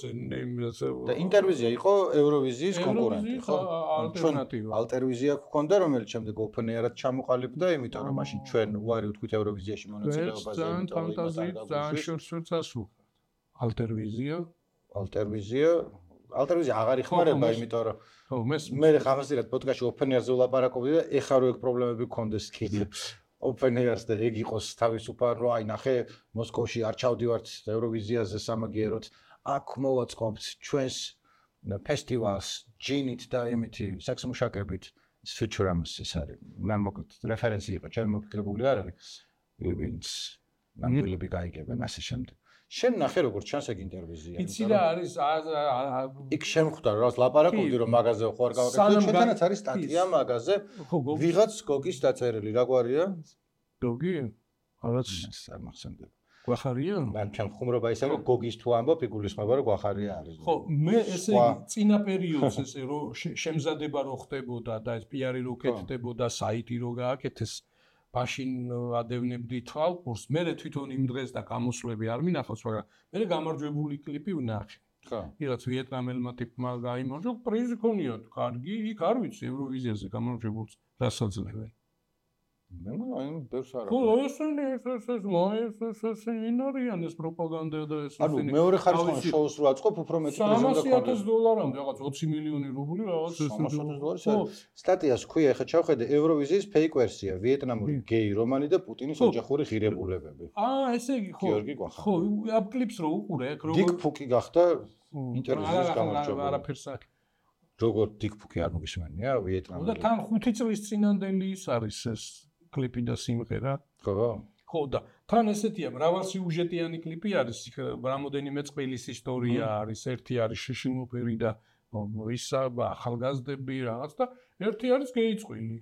და ინტერვიზია იყო ევროვიზიის კონკურენტი, ხო? ალტერნატივა. ალტერვიზია გქონდა, რომელიც შემდეგ ოფენერად ჩამოყალიბდა, იმიტომ რომ მაშინ ჩვენ უარი ვთქვით ევროვიზიაში მონაწილეობაზე. ძალიან ფანტაზიით, ძალიან შორს ასუხა. ალტერვიზია, ალტერვიზია, ალტერვიზია აღარ იხმარება, იმიტომ რომ ხო, მეს მე ხამასირად პოდკასტში ოფენერზე ვლაპარაკობდი და ეხლა რო ეგ პრობლემები გქონდეს კიდე. ოფენერს და ეგ იყოს თავისუფალ, რომ აი ნახე, მოსკოვში არ ჩავდივართ ევროვიზიაზე სამაგიეროდ. აქ მოვაწყობთ ჩვენს ფესტივალს ჯინით და იმითი საქსმუშაკებით. Futuram's ეს არის. მან მოკლედ რეფერენსი იყო, ჩემ მოგკრებული არ არის. ვინც ნამდვილები გაიგებენ ასე შემდეგ. შენ ნახე როგორც ჩანს ეგ ინტერვიზია. იცი რა არის იქ შემხვდა რომ ლაპარაკობდი რომ მაგაზე ხო არ გავაკეთე. ჩვენთანაც არის სტატია მაგაზე. ვიღაც გოგის დაწერილი, რა გვარია? გოგი? რაღაც არ მახსენდება. გვახარია? მან ჩემ ხუმრობა ისე რომ გოგის თუ ამბობ, იგულისხმება რომ გვახარია არის. ხო, მე ესე იგი წინა პერიოდს ესე რომ შემზადება რო ხდებოდა და ეს პიარი რო კეთდებოდა, საიტი რო გააკეთეს მაშინ ადევნებდი თვალყურს, მე თვითონ იმ დღეს და გამოსვლები არ მინახავს, მაგრამ მე გამარჯვებული კლიპი ვნახე. ხო. იღაც ვიეტნამელმა ტიპმა გაიმარჯვა, პრიზი ქონიათ, კარგი, იქ არ ვიცი ევროვიზიაზე გამარჯვებულს რასაძლევენ. მე მაინც ბევრს არ ხო, ეს ეს ეს ეს მოეს ეს ეს ინარიან ეს პროპაგანდა და ეს ანუ მეორე ხარისხიან შოუს რო აწყობ, უფრო მეტი პრიზი უნდა სამასი ათას დოლარამდე, რაღაც ოცი მილიონი რუბლი, რაღაც ეს სამას ათას დოლარი. სტატიას ქვია, ეხა ჩავხედე ევროვიზიის ფეიქ ვერსია, ვიეტნამური გეი რომანი და პუტინის ოჯახური ღირებულებები. აა, ესე იგი, ხო. გიორგი გვახარ. ხო, ამ კლიპს რო უყურე, ეგ როგორ დიკ ფუკი გახდა ინტერვიზიის გამარჯვებული. არაფერს არ. როგორ დიკ ფუკი არ მოგისმენია ვიეტნამში. და თან ხუთი წლის წინანდელი ის არის ეს კლიპი და სიმღერა. ხო. ხო და თან ესეთია მრავალსიუჟეტიანი კლიპი არის, რამოდენიმე წყვილის ისტორია არის, ერთი არის შეშინოფერი და ისა ახალგაზრდები რაღაც და ერთი არის გეი წყვილი.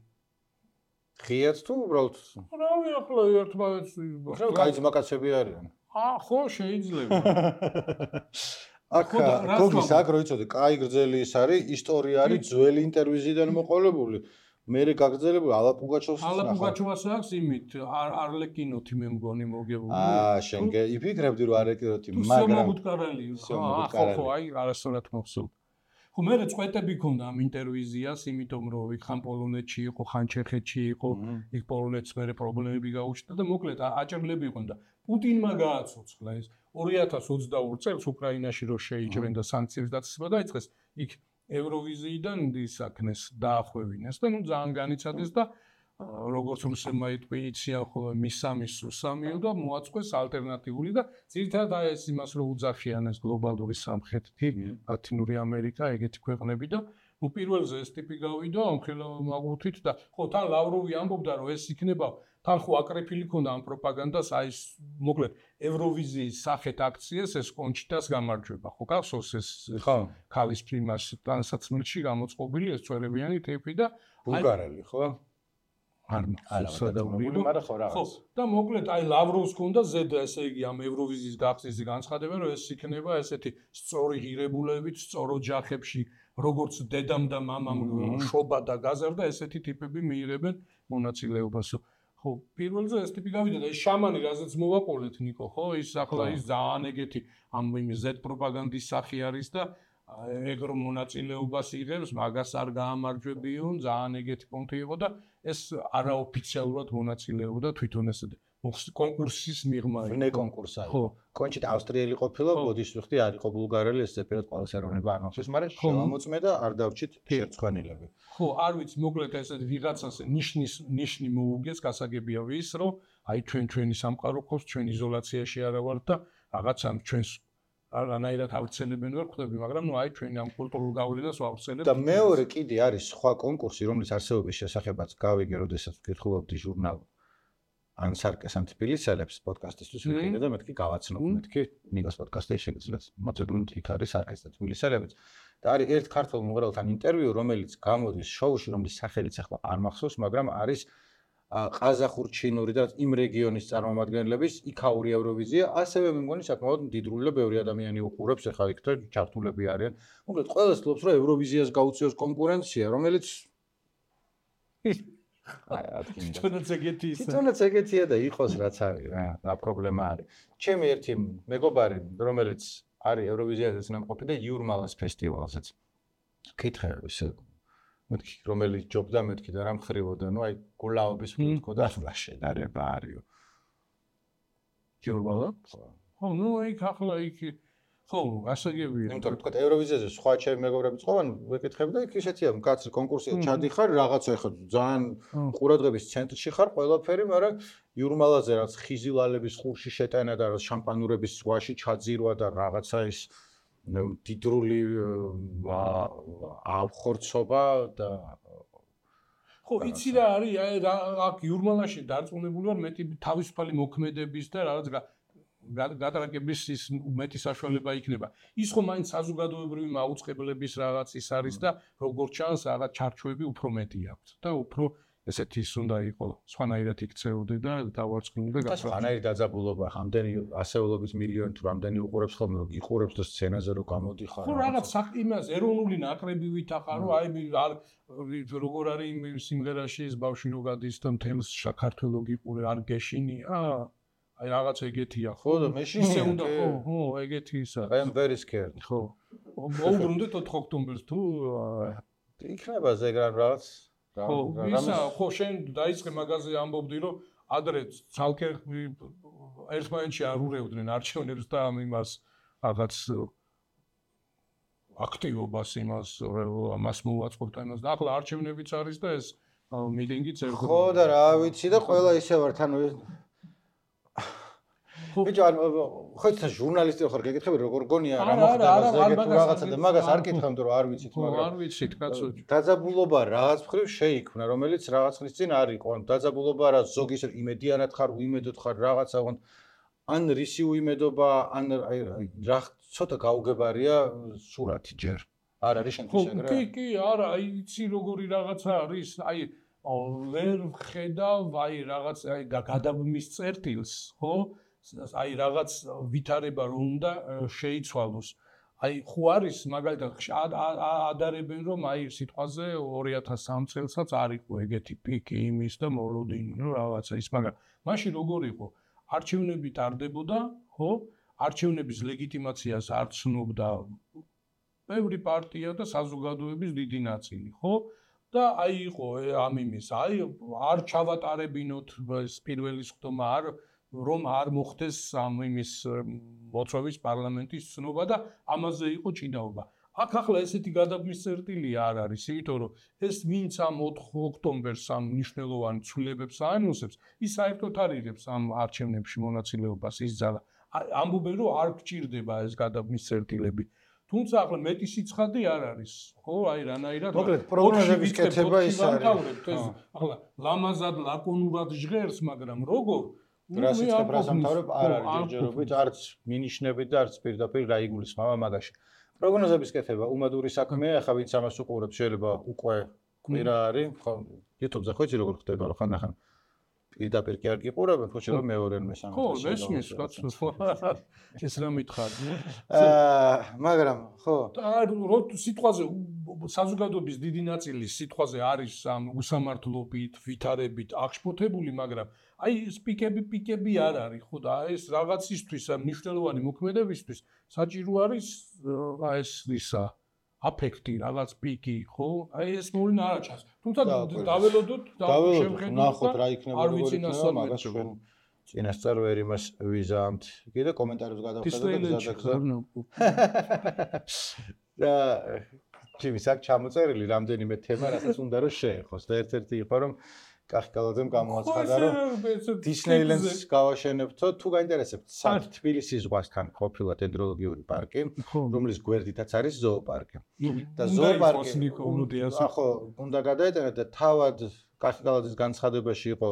ღიაც თუ უბრალოდ? რავი, ახლა ერთმანეთს ხო, კაი ძმაკაცები არიან. აა, ხო, შეიძლება. აქ გოგის აქ რო იცოდე, კაი გრძელი ის არის, ისტორია არის ძველი ინტერვიზიდან მოყოლებული. მერე გაგრძელებული ალა პუგაჩოვს ალა პუგაჩოვას აქვს იმით არლეკინოთი მე მგონი მოგებული. აა, შენ იფიქრებდი რომ არლეკინოთი, მაგრამ სიომოგუტკარელი. ხო, ხო, აი, არასწორად მოხსოვ. ხო მე წვეტები ქონდა ამ ინტერვიზიას, იმიტომ რომ იქ ხან პოლონეთში იყო, ხან ჩეხეთში იყო, იქ პოლონეთს მე პრობლემები გაუჩნდა და მოკლედ აჭრილები იყვნენ და პუტინმა გააცოცხლა ეს ორი ათას ოცდაორი წელს უკრაინაში რო შეიჭრენ და სანქციების დაწესება დაიწყეს, იქ ევროვიზიიდან ისაქნეს დაახვევინეს და ნუ ძალიან განიცადეს და როგორც რუსებმა იტყვიიციან ხოლმე მისამის სუსამიო და მოაწყვეს ალტერნატიული და ძირითადად აი ეს იმას რო უძახიანეს გლობალური სამხრეთი, ლათინური ამერიკა, ეგეთი ქვეყნები და ნუ პირველზე ეს ტიპი გავიდა ამხელა მაგუთით და ხო თან ლავროვი ამბობდა რომ ეს იქნება თან ხო აკრეფილი ქონდა ამ პროპაგანდას აი ეს მოკლედ ევროვიზიის სახეთ აქციას ეს კონჩიტას გამარჯვება ხო გახსოვს ეს ხო ქალის პრიმას ტანსაცმელში გამოწყობილი ეს წვერებიანი ტიპი და ბულგარელი ხო არ არა მაგრამ ხო რაღაც და მოკლედ აი ლავროვს ქონდა ზედა ესე იგი ამ ევროვიზიის გახსნის განცხადება რომ ეს იქნება ესეთი სწორი ღირებულებით სწორო ჯახებში როგორც დედამ და მამამ შობა და გაზარდა ესეთი ტიპები მიიღებენ მონაწილეობას ხო პირველზე ეს ტიპი გავიდა და ეს შამანი რაზეც მოვაყოლეთ ნიკო ხო ის ახლა ის ძალიან ეგეთი ამ იმ ზ პროპაგანდის სახი არის და ეგ რომ მონაწილეობას იღებს მაგას არ გაამარჯვებიონ ძალიან ეგეთი პონტი იყო და ეს არაოფიციალურად მონაწილეობდა თვითონ ესე კონკურსის მიღმა ვინე კონკურსა იყო კონჩიტა ავსტრიელი ყოფილა ბოდიშ ვიხდი არ იყო ბულგარელი ესე პირად ყოველს ეროვნება არ მახსოვს მაგრამ შემოწმე და არ დავჭით შერცხვენილები ხო არ ვიცი მოკლედ ესე ვიღაცას ნიშნის ნიშნი მოუგეს გასაგებია ვის რომ აი ჩვენ ჩვენი სამყარო ყავს ჩვენ იზოლაციაში არა ვართ და რაღაცა ჩვენს არანაირად ავცელებენ ვერ ხვდები მაგრამ ნუ აი ჩვენ ამ კულტურულ გავლენას ვავცელებთ და მეორე კიდე არის სხვა კონკურსი რომლის არსებობის შესახებაც გავიგე როდესაც ვკითხულობდი ჟურნალ ან სარკეს ან თბილისელებს პოდკასტისთვის ვიყიდე და მეთქი გავაცნობ მეთქი ნიკოს პოდკასტი შეგეძლოთ მოცემული იქ არის სარკეს და თბილისელებიც და არის ერთ ქართულ მომღერალთან ინტერვიუ რომელიც გამოდის შოუში რომლის სახელიც ახლა არ მახსოვს მაგრამ არის ყაზახურ-ჩინური და იმ რეგიონის წარმომადგენლების იქაური ევროვიზია ასევე მე მგონი საკმაოდ მდიდრული და ბევრი ადამიანი უყურებს ახლა იქ და ჩართულები არიან მოკლედ ყველას ფლობს რომ ევროვიზიას გაუწიოს კონკურენცია რომელიც აი ათქინდა თვითონაც ეგეთი ისე თვითონაც ეგეთია და იყოს რაც არის რა რა პრობლემა არის ჩემი ერთი მეგობარი რომელიც არის ევროვიზიაზეც ნამყოფი და იურმალას ფესტივალზეც კითხე ისე მეთქი რომელიც ჯობდა მეთქი და რა მხრივოდა ნუ აი გულაობის ფუტკო და ახლა შედარება არისო იურმალა ხო ნუ იქ ახლა იქ ხო ასაგებია იმიტომ რომ თქვა ევროვიზიაზე სხვა ჩემი მეგობრები წოვან ვეკითხები და იქ ისეთია მკაცრი კონკურსია ჩადიხარ რაღაცა ეხა ძალიან ყურადღების ცენტრში ხარ ყველაფერი მაგრამ იურმალაზე რაც ხიზილალების ხურში შეტანა და რაც შამპანურების ზღვაში ჩაძირვა და რაღაცა ის დიდრული ავხორცობა და ხო იცი რა არის აი აქ იურმალაში დარწმუნებული ვარ მეტი თავისუფალი მოქმედების და რაღაც გატრაკების ის მეტი საშუალება იქნება ის ხო მაინც საზოგადოებრივი მაუწყებლების რაღაც ის არის და როგორც ჩანს რაღაც ჩარჩოები უფრო მეტი აქვს და უფრო ესეთი ის უნდა იყოს სხვანაირად იქცეოდე და დავარცხნილდე და სხვანაირი დაძაბულობა ამდენი ასეულობის მილიონი თუ რამდენი უყურებს ხოლმე იყურებს და სცენაზე რო გამოდიხარ ხო რაღაც იმას ეროვნული ნაკრები ვითახარ რომ აი როგორ არის იმ სიმღერაში ეს ბავშვი რო გადის და მთელს საქართველო გიყურე არ გეშინია აი რაღაც ეგეთია ხო და მე ისე უნდა ხო ხო ეგეთი ისა I am very scared ხო მოუბრუნდეთ ოთხ ოქტომბერს თუ იქნება ზეგ რაღაც ხო ისა ხო შენ დაიწყე მაგაზე ამბობდი რომ ადრე ცალკე ერთმანეთში არ ურევდნენ არჩევნებს და ამ იმას რაღაც აქტივობას იმას მას მოვაწყობთ ამას და ახლა არჩევნებიც არის და ეს მიტინგიც ერთხელ ხო და რა ვიცი და ყველა ისე ვართ ანუ ბიჭო ან ხო ცა ჟურნალისტი ხარ გეკითხები როგორ გონია რა მოხდა ეგეთ რაღაცა და მაგას არ კითხავთ რომ არ ვიცით მაგრამ არ ვიცით კაცო დაძაბულობა რაღაც მხრივ შეიქმნა რომელიც რაღაც ხნის წინ არ იყო ან დაძაბულობა რა ზოგის იმედიანად ხარ უიმედოდ ხარ რაღაცა ან რისი უიმედობა ან აი რა ცოტა გაუგებარია სურათი ჯერ არ არის შენთვის ეგრე კი კი არა აი იცი როგორი რაღაცა არის აი ვერ ხედავ აი რაღაც აი გადაბმის წერტილს ხო აი რაღაც ვითარება რომ უნდა შეიცვალოს. აი ხო არის მაგალითად ადარებენ რომ აი სიტყვაზე ორი ათას სამი წელსაც არ იყო ეგეთი პიკი იმის და მოლოდინი რომ რაღაცა ის მაგრამ მაშინ როგორ იყო არჩევნები ტარდებოდა ხო არჩევნების ლეგიტიმაციას არ ცნობდა ბევრი პარტია და საზოგადოების დიდი ნაწილი, ხო? და აი იყო ამ იმის, აი არ ჩავატარებინოთ ეს პირველი სხდომა, არ რომ არ მოხდეს ამ იმის მოწვევის პარლამენტის ცნობა და ამაზე იყო ჭიდაობა. აქ ახლა ესეთი გადაბმის წერტილი არ არის, იმიტომ რომ ეს ვინც ამ ოთხ ოქტომბერს ამ მნიშვნელოვან ცვლილებებს აანონსებს, ის საერთოდ არ იღებს ამ არჩევნებში მონაწილეობას ის ძალა. ამბობენ რომ არ გჭირდება ეს გადაბმის წერტილები. თუმცა ახლა მეტი სიცხადე არ არის, ხო? აი რანაირად მოკლედ პროგნოზების კეთება ის არის. ახლა ლამაზად ლაკონურად ჟღერს, მაგრამ როგორ რასიცხებ რასამთავრებ არ არის ჯერჯერობით, არც მინიშნებით და არც პირდაპირ რა იგულისხმება მაგაში. პროგნოზების კეთება უმადური საქმეა, ახლა ვინც ამას უყურებს შეიძლება უკვე კვირა არის, ხო, YouTube-ზე ხო იცი როგორ ხდება, ხო, ხან-ახან პირდაპირ კი არ გიყურებენ, ხო, შეიძლება მეორე მესამე. ხო, მესმის, კაცო, ეს რა მითხარ? აა, მაგრამ, ხო. რო სიტყვაზე საზოგადოების დიდი ნაწილი სიტყვაზე არის ამ უსამართლობით, ვითარებით აღშფოთებული, მაგრამ აი სპიკები, პიკები არ არის, ხო და ეს რაღაცისთვის, მნიშვნელოვანი მოქმედებისთვის საჭირო არის აი ეს ისა აფექტი, რაღაც პიკი, ხო? აი ეს მოვლენა არ აჩანს. თუმცა დაველოდოთ და შევხედოთ, ნახოთ რა იქნება, როგორ იქნება, მაგას ჩვენ წინასწარ ვერ იმას ვიზამთ. კიდე კომენტარებს გადავხედოთ და გზადაგზა. და ჩემს აქ ჩამოწერილი რამდენიმე თემა, რასაც უნდა რომ შეეხოს და ერთ-ერთი იყო რომ კახკალაძემ გამოაცხადა რომ დისნეილენდს გავაშენებთო, თუ გაინტერესებთ, სად თბილისის ზღვასთან ყოფილა დენდროლოგიური პარკი, რომლის გვერდითაც არის ზოოპარკი. და ზოოპარკი ახო უნდა გადაეტანოთ და თავად კახკალაძის განცხადებაში იყო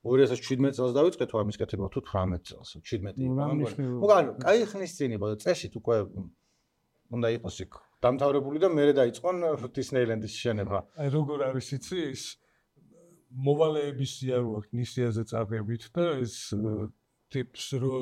ორი ათას შვიდმეტ წელს დავიწყეთ ამის კეთება თუ თვრამეტ წელს, შვიდმეტი იყო. მაგრამ კაი ხნის წინ იყო და წესით უკვე უნდა იყოს იქ დამთავრებული და მერე დაიწყონ დისნეილენდის შენება. აი როგორ არის იცი ის მოვალეების სიარო აქვს ნისიაზე წარებით და ეს ტიპს რო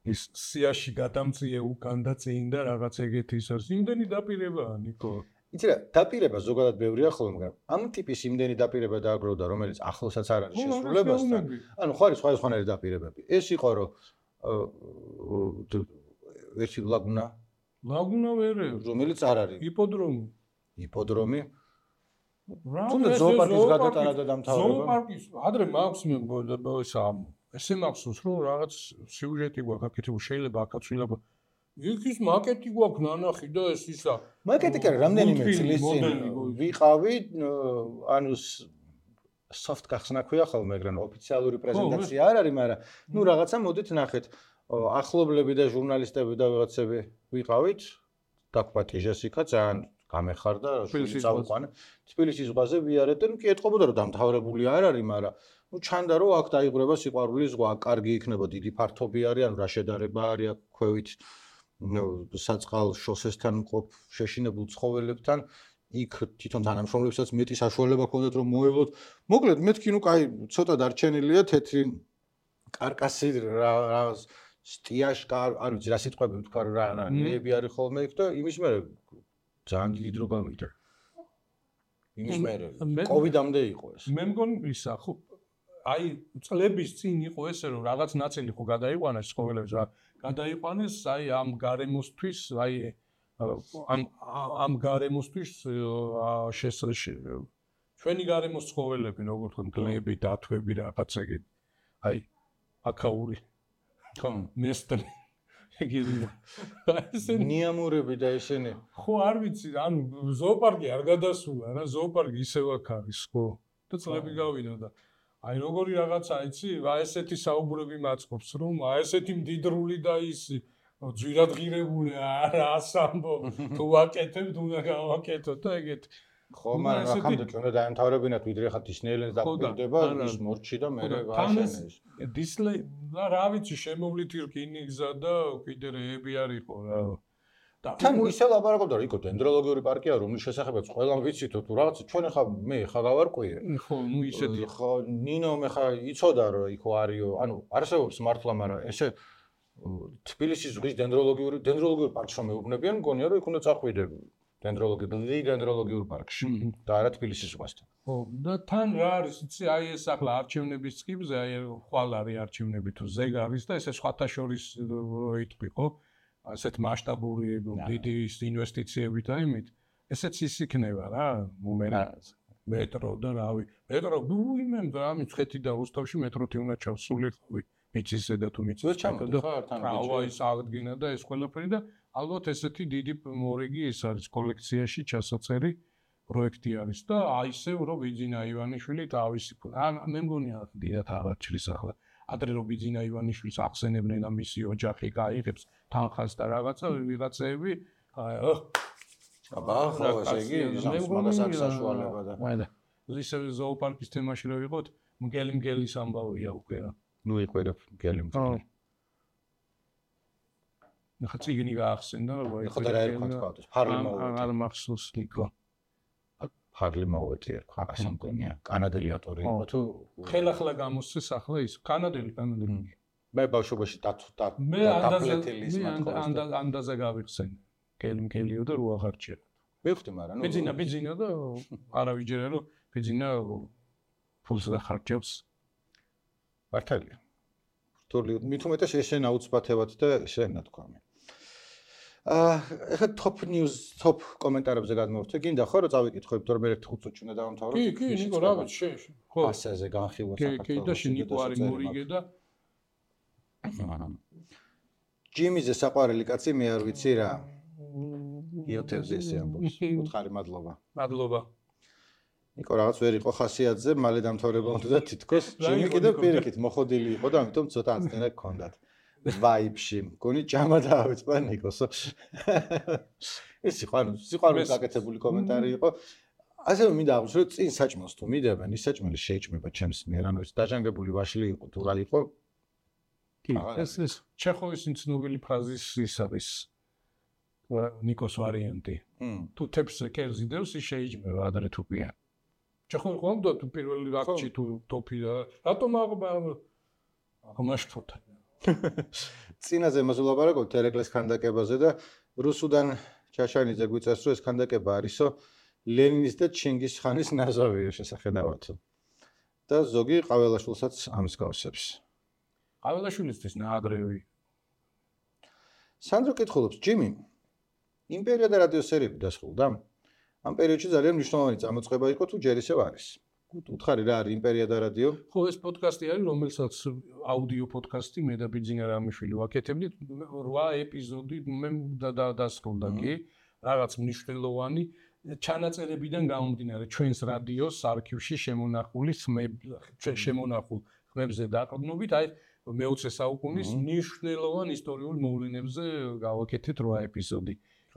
ის სიაში გადამწიე უკან და წინ და რაღაც ეგეთი ის არის. იმდენი დაპირებაა ნიკო. იცი რა, დაპირება ზოგადად ბევრია ხოლმე, მაგრამ ამ ტიპის იმდენი დაპირება დააგროვდა, რომელიც ახლოსაც არ არის შესრულებასთან. ანუ ხო არის სხვადასხვანაირი დაპირებები. ეს იყო რომ ერთი ლაგუნა ლაგუნა ვერ რომელიც არ არის იპოდრომი იპოდრომი თუნდაც ზოოპარკის გადატანა და დამთავრება ზოოპარკის ადრე მაქვს მე ისა ესე მახსოვს რომ რაღაც სიუჟეტი გვაქვს აქეთ შეიძლება აქაც ვილაბა იქის მაკეტი გვაქვს ნანახი და ეს ისა მაკეტი კი არა რამდენიმე წლის წინ ვიყავი ანუ soft გახსნა ქვია ხოლმე მაგრამ ოფიციალური პრეზენტაცია არ არის მაგრამ ნუ რაღაცა მოდით ნახეთ ახლობლები და ჟურნალისტები და ვიღაცები ვიყავით დაგყვათ ჟესიკა ძალიან გამეხარდა წავყვანე თბილისის ზღვაზე ვიარეთ და კი ეთყობოდა რომ დამთავრებული არ არის მაგრამ ნუ ჩანდა რომ აქ დაიბრება სიყვარულის ზღვა კარგი იქნება დიდი ფართობი არის ანუ რა შედარება არის აქ ქვევით საწყალ შოსესთან მყოფ შეშინებულ ცხოველებთან იქ თვითონ თანამშრომლებსაც მეტი საშუალება ჰქონდათ რომ მოევლოთ მოკლედ მეთქი ნუ კაი ცოტა დარჩენილია თეთრი კარკასი რა სტიაშკა არ ვიცი რა სიტყვები ვთქვა რა ნეები არის ხოლმე იქ და იმის მერე ძალიან დიდი დრო გამიდა იმის მერე კოვიდამდე იყო ეს მე მგონი ისა ხო აი წლების წინ იყო ესე რომ რაღაც ნაწილი ხო გადაიყვანეს ცხოველებს რა გადაიყვანეს აი ამ გარემოსთვის აი ამ ამ გარემოსთვის შესაძლოა ჩვენი გარემოს ცხოველები როგორ თქვენ გლები დათვები რაღაცა ეგ აი აკაური ხო მესტრი ეგრე ესე ნიამურები და ესენი ხო არ ვიცი ანუ ზოოპარკი არ გადასულა რა ზოოპარკი ისევ აქ არის ხო და წლები გავიდა და აი როგორი რაღაცა იცი აი ესეთი საუბრები მაწყობს რომ აი ესეთი მდიდრული და ის ძვირადღირებული არა ასამბო თუ ვაკეთებ უნდა გავაკეთო და ეგეთ ხო მაგრამ ახამდე ჩვენ დაემთავრებინათ ვიდრე ხა დისნეილენდს დაგვირდება ის მორჩი და მე ვაშენეს დისლეი რა ვიცი შემოვლითი რკინიგზა და კიდე რეები არისო რა და თან ისე ლაპარაკობდა რომ იქო დენდროლოგიური პარკია რომლის შესახებაც ყველამ ვიცით თუ რაღაც ჩვენ ხა მე ხა გავარკვიე ხო ნუ ისეთი ხო ნინო მე ხა იცოდა რომ იქო არისო ანუ არსებობს მართლა მაგრამ ესე თბილისის ზღვის დენდროლოგიური დენდროლოგიური პარკს რომ მეუბნებიან მგონია რომ იქ უნდა წახვიდე დენდროლოგიური დენდროლოგიურ პარკში და არა თბილისის ზღვასთან. ხო და თან რა არის იცი აი ეს ახლა არჩევნების წკიბზე აი ხვალ არის არჩევნები თუ ზეგ არის და ესე სხვათა შორის რო იტყვი ხო ასეთ მასშტაბური დიდი ინვესტიციებით და იმით, ესეც ის იქნება რა, მომენტ მეტრო და რავი. მეტრო უიმემ და ამის ხეთი და რუსთავში მეტროთი უნდა ჩავსული ხვი. მიწის ზედა თუ მიწის ჩამოდი ხარ თან რავა ის აღდგინა და ეს ყველაფერი და ალბათ ესეთი დიდი მორიგი ის არის კოლექციაში ჩასაწერი პროექტი არის და აი ისევ რომ ბიძინა ივანიშვილი თავისი მე მგონია დიდად აღარჩის ახლა ადრე რომ ბიძინა ივანიშვილს ახსენებდნენ და მისი ოჯახი გაიღებს თანხას და რაღაცა ვიღაცები აი აბა ხო ესე იგი მაგას აქვს საშუალება და მაინდა ისევ ზოოპარკის თემაში რო ვიყოთ მგელი მგელის ამბავია უკვე რა ნუ იყვერებ მგელი მგელი ნახა წიგნი გაახსენდა რა ხო და რა ერქვა თქვა ფარლი მოვედი არ მახსოვს ნიკო ფარლი მოვედი ერქვა ასე მგონია კანადელი ავტორი იყო თუ ხელახლა გამოსცეს ახლა ის კანადელი კანადელი მე ბავშვობაში დათუდა მე ანდაზე გავიხსენ მგელი მგელიო და რო აღარჩია მივხვდი მაგრამ ნუ ბიძინა ბიძინა და არავიჯერა რომ ბიძინა ფულს დახარჯავს მართალია რთული მით უმეტეს ესენ აუცბათებად და ესენ ნათქვამი აა ეხლა top news top კომენტარებზე გადმოვთე გინდა ხო რომ წავიკითხოთ თორე მე ერთი ხუთ წუთი უნდა დავამთავროთ კი კი ნიკო რა ვიცი შენ ხო ასაზე განხილვა საქართველოს კი და შენ ნიკო არის მორიგე და ჯიმიზე საყვარელი კაცი მე არ ვიცი რა იოთევზე ესე ამბობს უთხარი მადლობა მადლობა ნიკო რაღაც ვერ იყო ხასიათზე მალე დამთავრება უნდა და თითქოს ჯიმი კიდევ პირიქით მოხოდილი იყო და ამიტომ ცოტა აცდენა გქონდათ ვაიბში მგონი ჭამა დაავიწყდა ნიკოსო ეს იყო ანუ სიყვარულის გაკეთებული კომენტარი იყო ასევე მინდა აღვნიშნო რომ წინ საჭმელს თუ მიდებენ ის საჭმელი შეიჭმება ჩემს მიერ ანუ ეს დაჟანგებული ვაშლი იყო თუ რა იყო კი ეს ეს ჩეხოვის ცნობილი ფრაზის ის არის ნიკოს ვარიანტი თუ თებს კერძი დევს ის შეიჭმება ადრე თუ პიან ჩეხოვი ხომ თუ პირველი რაკში თუ ტოფი რატომ აღმაშფოთა წინაზე მოსულაპარაკოთ ერეკლეს ქანდაკებაზე და რუსუდან ჩაშანიძე გვიწევს რომ ეს ქანდაკება არისო ლენინის და ჩინგის ხანის ნაზავია შესახედავად და ზოგი ყაველაშვილსაც ამის გავსებს ყაველაშვილისთვის ნაადრევი სანდრო კითხულობს ჯიმი იმპერია და რადიო სერიები დასრულდა ამ პერიოდში ძალიან მნიშვნელოვანი წამოწყება იყო თუ ჯერ ისევ არის უთხარი რა არის იმპერია და რადიო ხო ეს პოდკასტი არის რომელსაც აუდიო პოდკასტი მე და ბიძინა რამიშვილი ვაკეთებდით რვა ეპიზოდი მე დასრულდა კი რაღაც მნიშვნელოვანი ჩანაწერებიდან გამომდინარე ჩვენს რადიოს არქივში შემონახული შემონახულ ხმებზე დაყრდნობით აი მეოცე საუკუნის მნიშვნელოვან ისტორიულ მოვლენებზე გავაკეთეთ რვა ეპიზოდი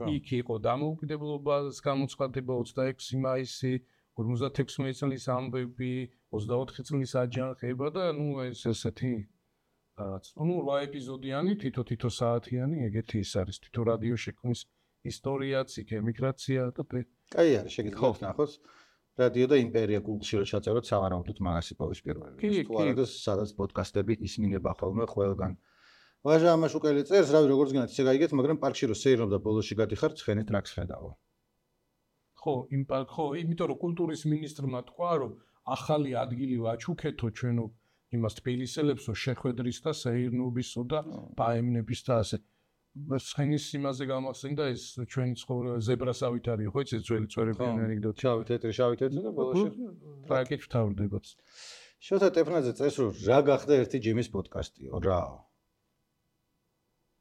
იქ იყო დამოუკიდებლობას გამოცხადება ოცდაექვსი მაისი ორმოცდაექვსი წლის ამბები ოცდაოთხი წლის აჯანყება და ნუ ეს ესეთი რაღაც ნუ რვა ეპიზოდიანი თითო-თითო საათიანი ეგეთი ის არის თითო რადიო შექმნის ისტორიაც იქ ემიგრაცია და კაი არის შეგიძლიათ ნახოთ რადიო და იმპერია გუგლში რო ჩაწეროთ სავარაუდოდ მაგას იპოვის პირველი თუ არა და სადაც პოდკასტები ისმინება ხოლმე ყველგან ვაჟა ამაშუკელი წერს რავი როგორც გინდათ ისე გაიგეთ მაგრამ პარკში რო სეირნობდა ბოლოში გადიხარ ცხენით რაკს ხედავო ხო იმ ხო იმიტომ რომ კულტურის მინისტრმა თქვა რომ ახალი ადგილი ვაჩუქეთო ჩვენო იმას თბილისელებს რომ შეხვედრის და სეირნობისო და პაემნების და ასე ცხენის იმაზე გამახსენდა ეს ჩვენი ცხოვრება ზებრასავით არის ხო იცი ძველი წვერებიანი ანეკდოტი შავი თეთრი შავი თეთრი და ბოლოში ტრაკით ვთავრდებოც შოთა ტეფნაძე წერს რომ რა გახდა ერთი ჯიმის პოდკასტიო რა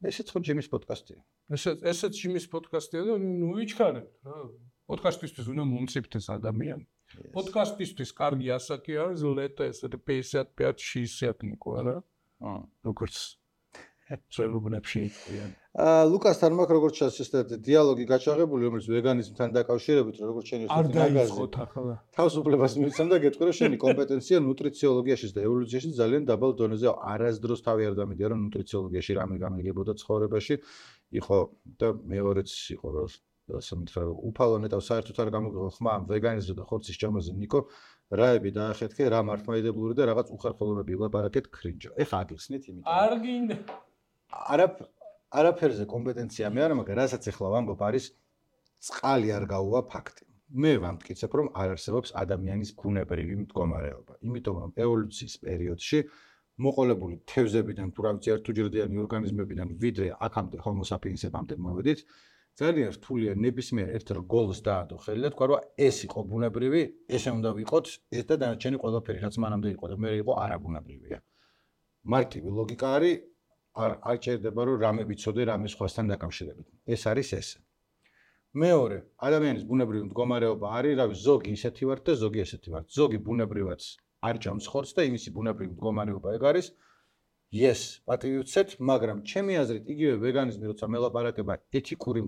ესეც ხო ჯიმის პოდკასტია ესეც ესეც ჯიმის პოდკასტია და ნუ ვიჩქარებთ რა პოდკასტისთვის უნდა მომწიფდეს ადამიანი პოდკასტისთვის კარგი ასაკი არის ლეტა ესეთი пятьдесят пять шестьдесят ნიკო არა აა როგორც წვერუბნებში აა ლუკასთან მაქვს როგორც შესაძლოა დიალოგი გაჩაღებული რომელიც ვეგანიზმთან დაკავშირებით როგორც შენი ერთ ნაგაზი თავისუფლებას მიცემ და გეტყვი რომ შენი კომპეტენცია ნუტრიციოლოგიაში და ევოლუციაში ძალიან დაბალ დონეზე არასდროს თავი არ დამიდია რომ ნუტრიციოლოგიაში რამე გამიგებოდა ცხოვრებაში იყო და მეორეც იყო რომ სამთრალო უფალო ნეტავ საერთოდ არ გამოგიღო ხმა ვეგანიზმზე და ხორცის ჭამაზე ნიკო რაები დაახეთქე რა მართლმადიდებლური და რაღაც უხერხულობები ვილაპარაკეთ ქრინჯო ეხა აგიხსნით იმიტომ არ გინდა არა არაფერზე კომპეტენცია მე არა მაგრამ რასაც ეხლა ვამბობ არის წყალი არ გაუვა ფაქტი მე ვამტკიცებ რომ არ არსებობს ადამიანის ბუნებრივი მდგომარეობა იმიტომ რომ ევოლუციის პერიოდში მოყოლებული თევზებიდან თუ რა ვიცი ერთუჯრედიანი ორგანიზმებიდან ვიდრე აქამდე Homo sapiens-ებამდე მოვედით ძალიან რთულია ნებისმიერ ერთ რგოლს დაადო ხელი და თქვა რომ ეს იყო ბუნებრივი, ესე უნდა ვიყოთ, ეს და დანარჩენი ყველაფერი რაც მანამდე იყო და მე იყო არაბუნებრივია. მარტივი ლოგიკა არის არ არ ჭირდება რომ რამე ვიცოდე რამე სხვასთან დაკავშირებით. ეს არის ეს. მეორე, ადამიანის ბუნებრივი მდგომარეობა არის, რავი, ზოგი ისეთი ვარ და ზოგი ესეთი ვარ. ზოგი ბუნებრივად არ ჭამს ხორცს და იმისი ბუნებრივი მდგომარეობა ეგ არის. Yes, პატივი ვცეთ, მაგრამ ჩემი აზრით იგივე ვეგანიზმი როცა მელაპარაკება ეთიკური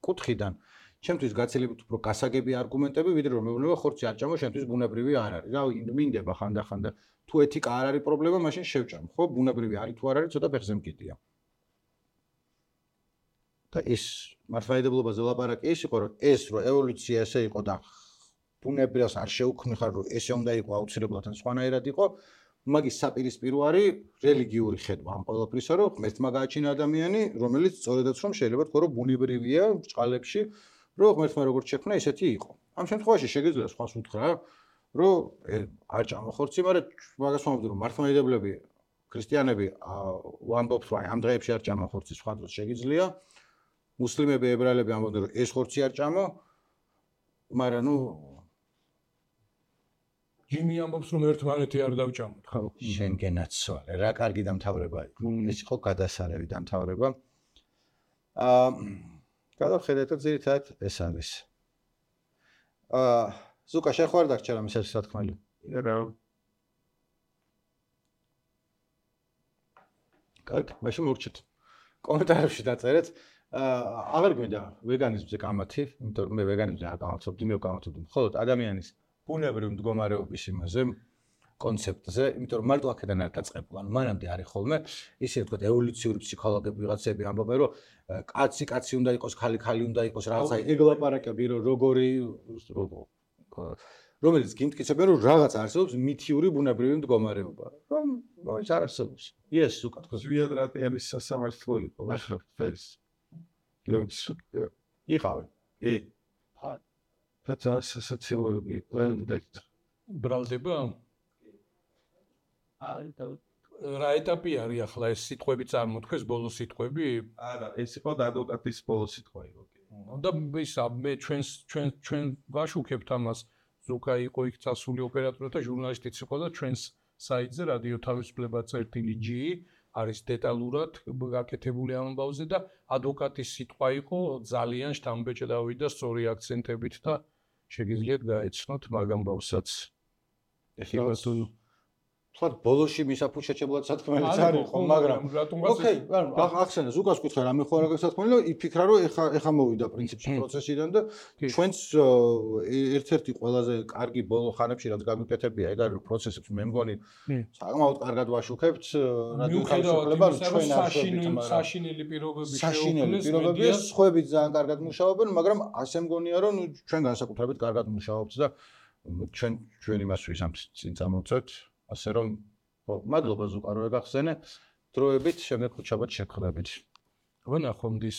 კუთხიდან, ჩემთვის გაცილებით უფრო გასაგები არგუმენტები, ვიდრე რომ მეუბნება ხორცი არ ჭამო, შენთვის ბუნებრივი არ არის. რავი, მინდება ხანდახანდა თუ ეთიკა არ არის პრობლემა, მაშინ შევჭამ. ხო, ბუნებრივი არის თუ არ არის, ცოტა ფეხზე მკიდია. და ის მართლმადიდებლობაზე ლაპარაკი ის იყო, რომ ეს რო ევოლუცია ესე იყო და ბუნებრივს არ შეუქმნიხარ, რომ ესე უნდა იყო აუცილებლად ან სხვანაირად იყო, მაგის საპირისპირო არის რელიგიური ხედვა ამ ყველაფრისა, რომ ღმერთმა გააჩინა ადამიანი, რომელიც სწორედაც რომ შეიძლება თქვა, რომ ბუნებრივია ჭყალებში, რომ ღმერთმა როგორც შექმნა, ისეთი იყო. ამ შემთხვევაში შეგიძლია სხვას უთხრა, რომ არ ჭამა ხორცი, მაგრამ მაგას ვამბობ, რომ მართლმადიდებლები, ქრისტიანები ვამბობთ, რომ ამ დღეებში არ ჭამა ხორცი, სხვა დროს შეგიძლია. მუსლიმები, ებრაელები ამბობდნენ, რომ ეს ხორცი არ ჭამო, მაგრამ ნუ ჯიმი ამბობს რომ ერთმანეთი არ დავჭამოთ. ხო, შენ გენაცვალე, რა კარგი დამთავრება იყო. ეს იყო გადასარევი დამთავრება. აა, გადავხედეთ, ძირითადად ეს არის. აა, ზუკა შეხვარ დაგჭა რამის ეს სათქმელი. რა კარგი, მაშინ მოვრჩით. კომენტარებში დაწერეთ. აა, აღარ გვინდა ვეგანიზმზე კამათი, იმიტომ რომ მე ვეგანიზმზე არ გამოცობდი, მე ვკამათობდი მხოლოდ ადამიანის ბუნებრივი მდგომარეობის იმაზე კონცეპტზე, იმიტომ რომ მარტო აქედან არ დაწყებულ, ანუ მანამდე არის ხოლმე ისე ვთქვათ ევოლუციური ფსიქოლოგები ვიღაცები ამბობენ, რომ კაცი კაცი უნდა იყოს, ხალი ხალი უნდა იყოს, რაღაცა ეგ ლაპარაკები, რომ როგორი რომელიც გიმტკიცებენ, რომ რაღაც არსებობს მითიური ბუნებრივი მდგომარეობა, რომ ის არ არსებობს. Yes, უკეთ ხო. ზვიად რატიანის სასამართლო იყო, ახლა ფერს. იყავი. ე და სასაცილოები ყველგან ბრალდება? რა ეტაპი არის ახლა ეს სიტყვები წარმოთქვეს, ბოლო სიტყვები? არა, ეს იყო ადვოკატის ბოლო სიტყვა იყო. და ისა მე ჩვენს ჩვენ ჩვენ ვაშუქებთ ამას. ზუკა იყო იქ წასული ოპერატორი და ჟურნალისტიც იყო და ჩვენს საიტზე რადიო თავისუფლება წერტილი ჯი არის დეტალურად გაკეთებული ამ ამბავზე და ადვოკატის სიტყვა იყო ძალიან შთამბეჭდავი და სწორი აქცენტებით და შეგიძლიათ გაეცნოთ მაგ ამბავსაც. ეხლა თუ თქვა ბოლოში მისაფუჩეჩებლად სათქმელიც არის ხო, მაგრამ ოკეი, ანუ ახსენე ზუკას კითხე რამე ხო არა გასათქმელი და იფიქრა რომ ეხა ეხა მოვიდა პრინციპში პროცესიდან და ჩვენს ერთ-ერთი ყველაზე კარგი ბოლო ხანებში რაც გამიკეთებია ეგ არის პროცესებს მე მგონი საკმაოდ კარგად ვაშუქებთ რადიო თავისუფლებას ჩვენ არ შევიდით საშინელი პირობები საშინელი პირობები სხვაებიც ძალიან კარგად მუშაობენ მაგრამ ასე მგონია რომ ჩვენ განსაკუთრებით კარგად მუშაობთ და ჩვენ ჩვენ იმასთვის ამ წინ წამოვწევთ ასე რომ ხო მადლობა ზუკა რომ ეგახსენე დროებით შემდეგ ხუჩაბად შეგხვდებით ვნახო მდის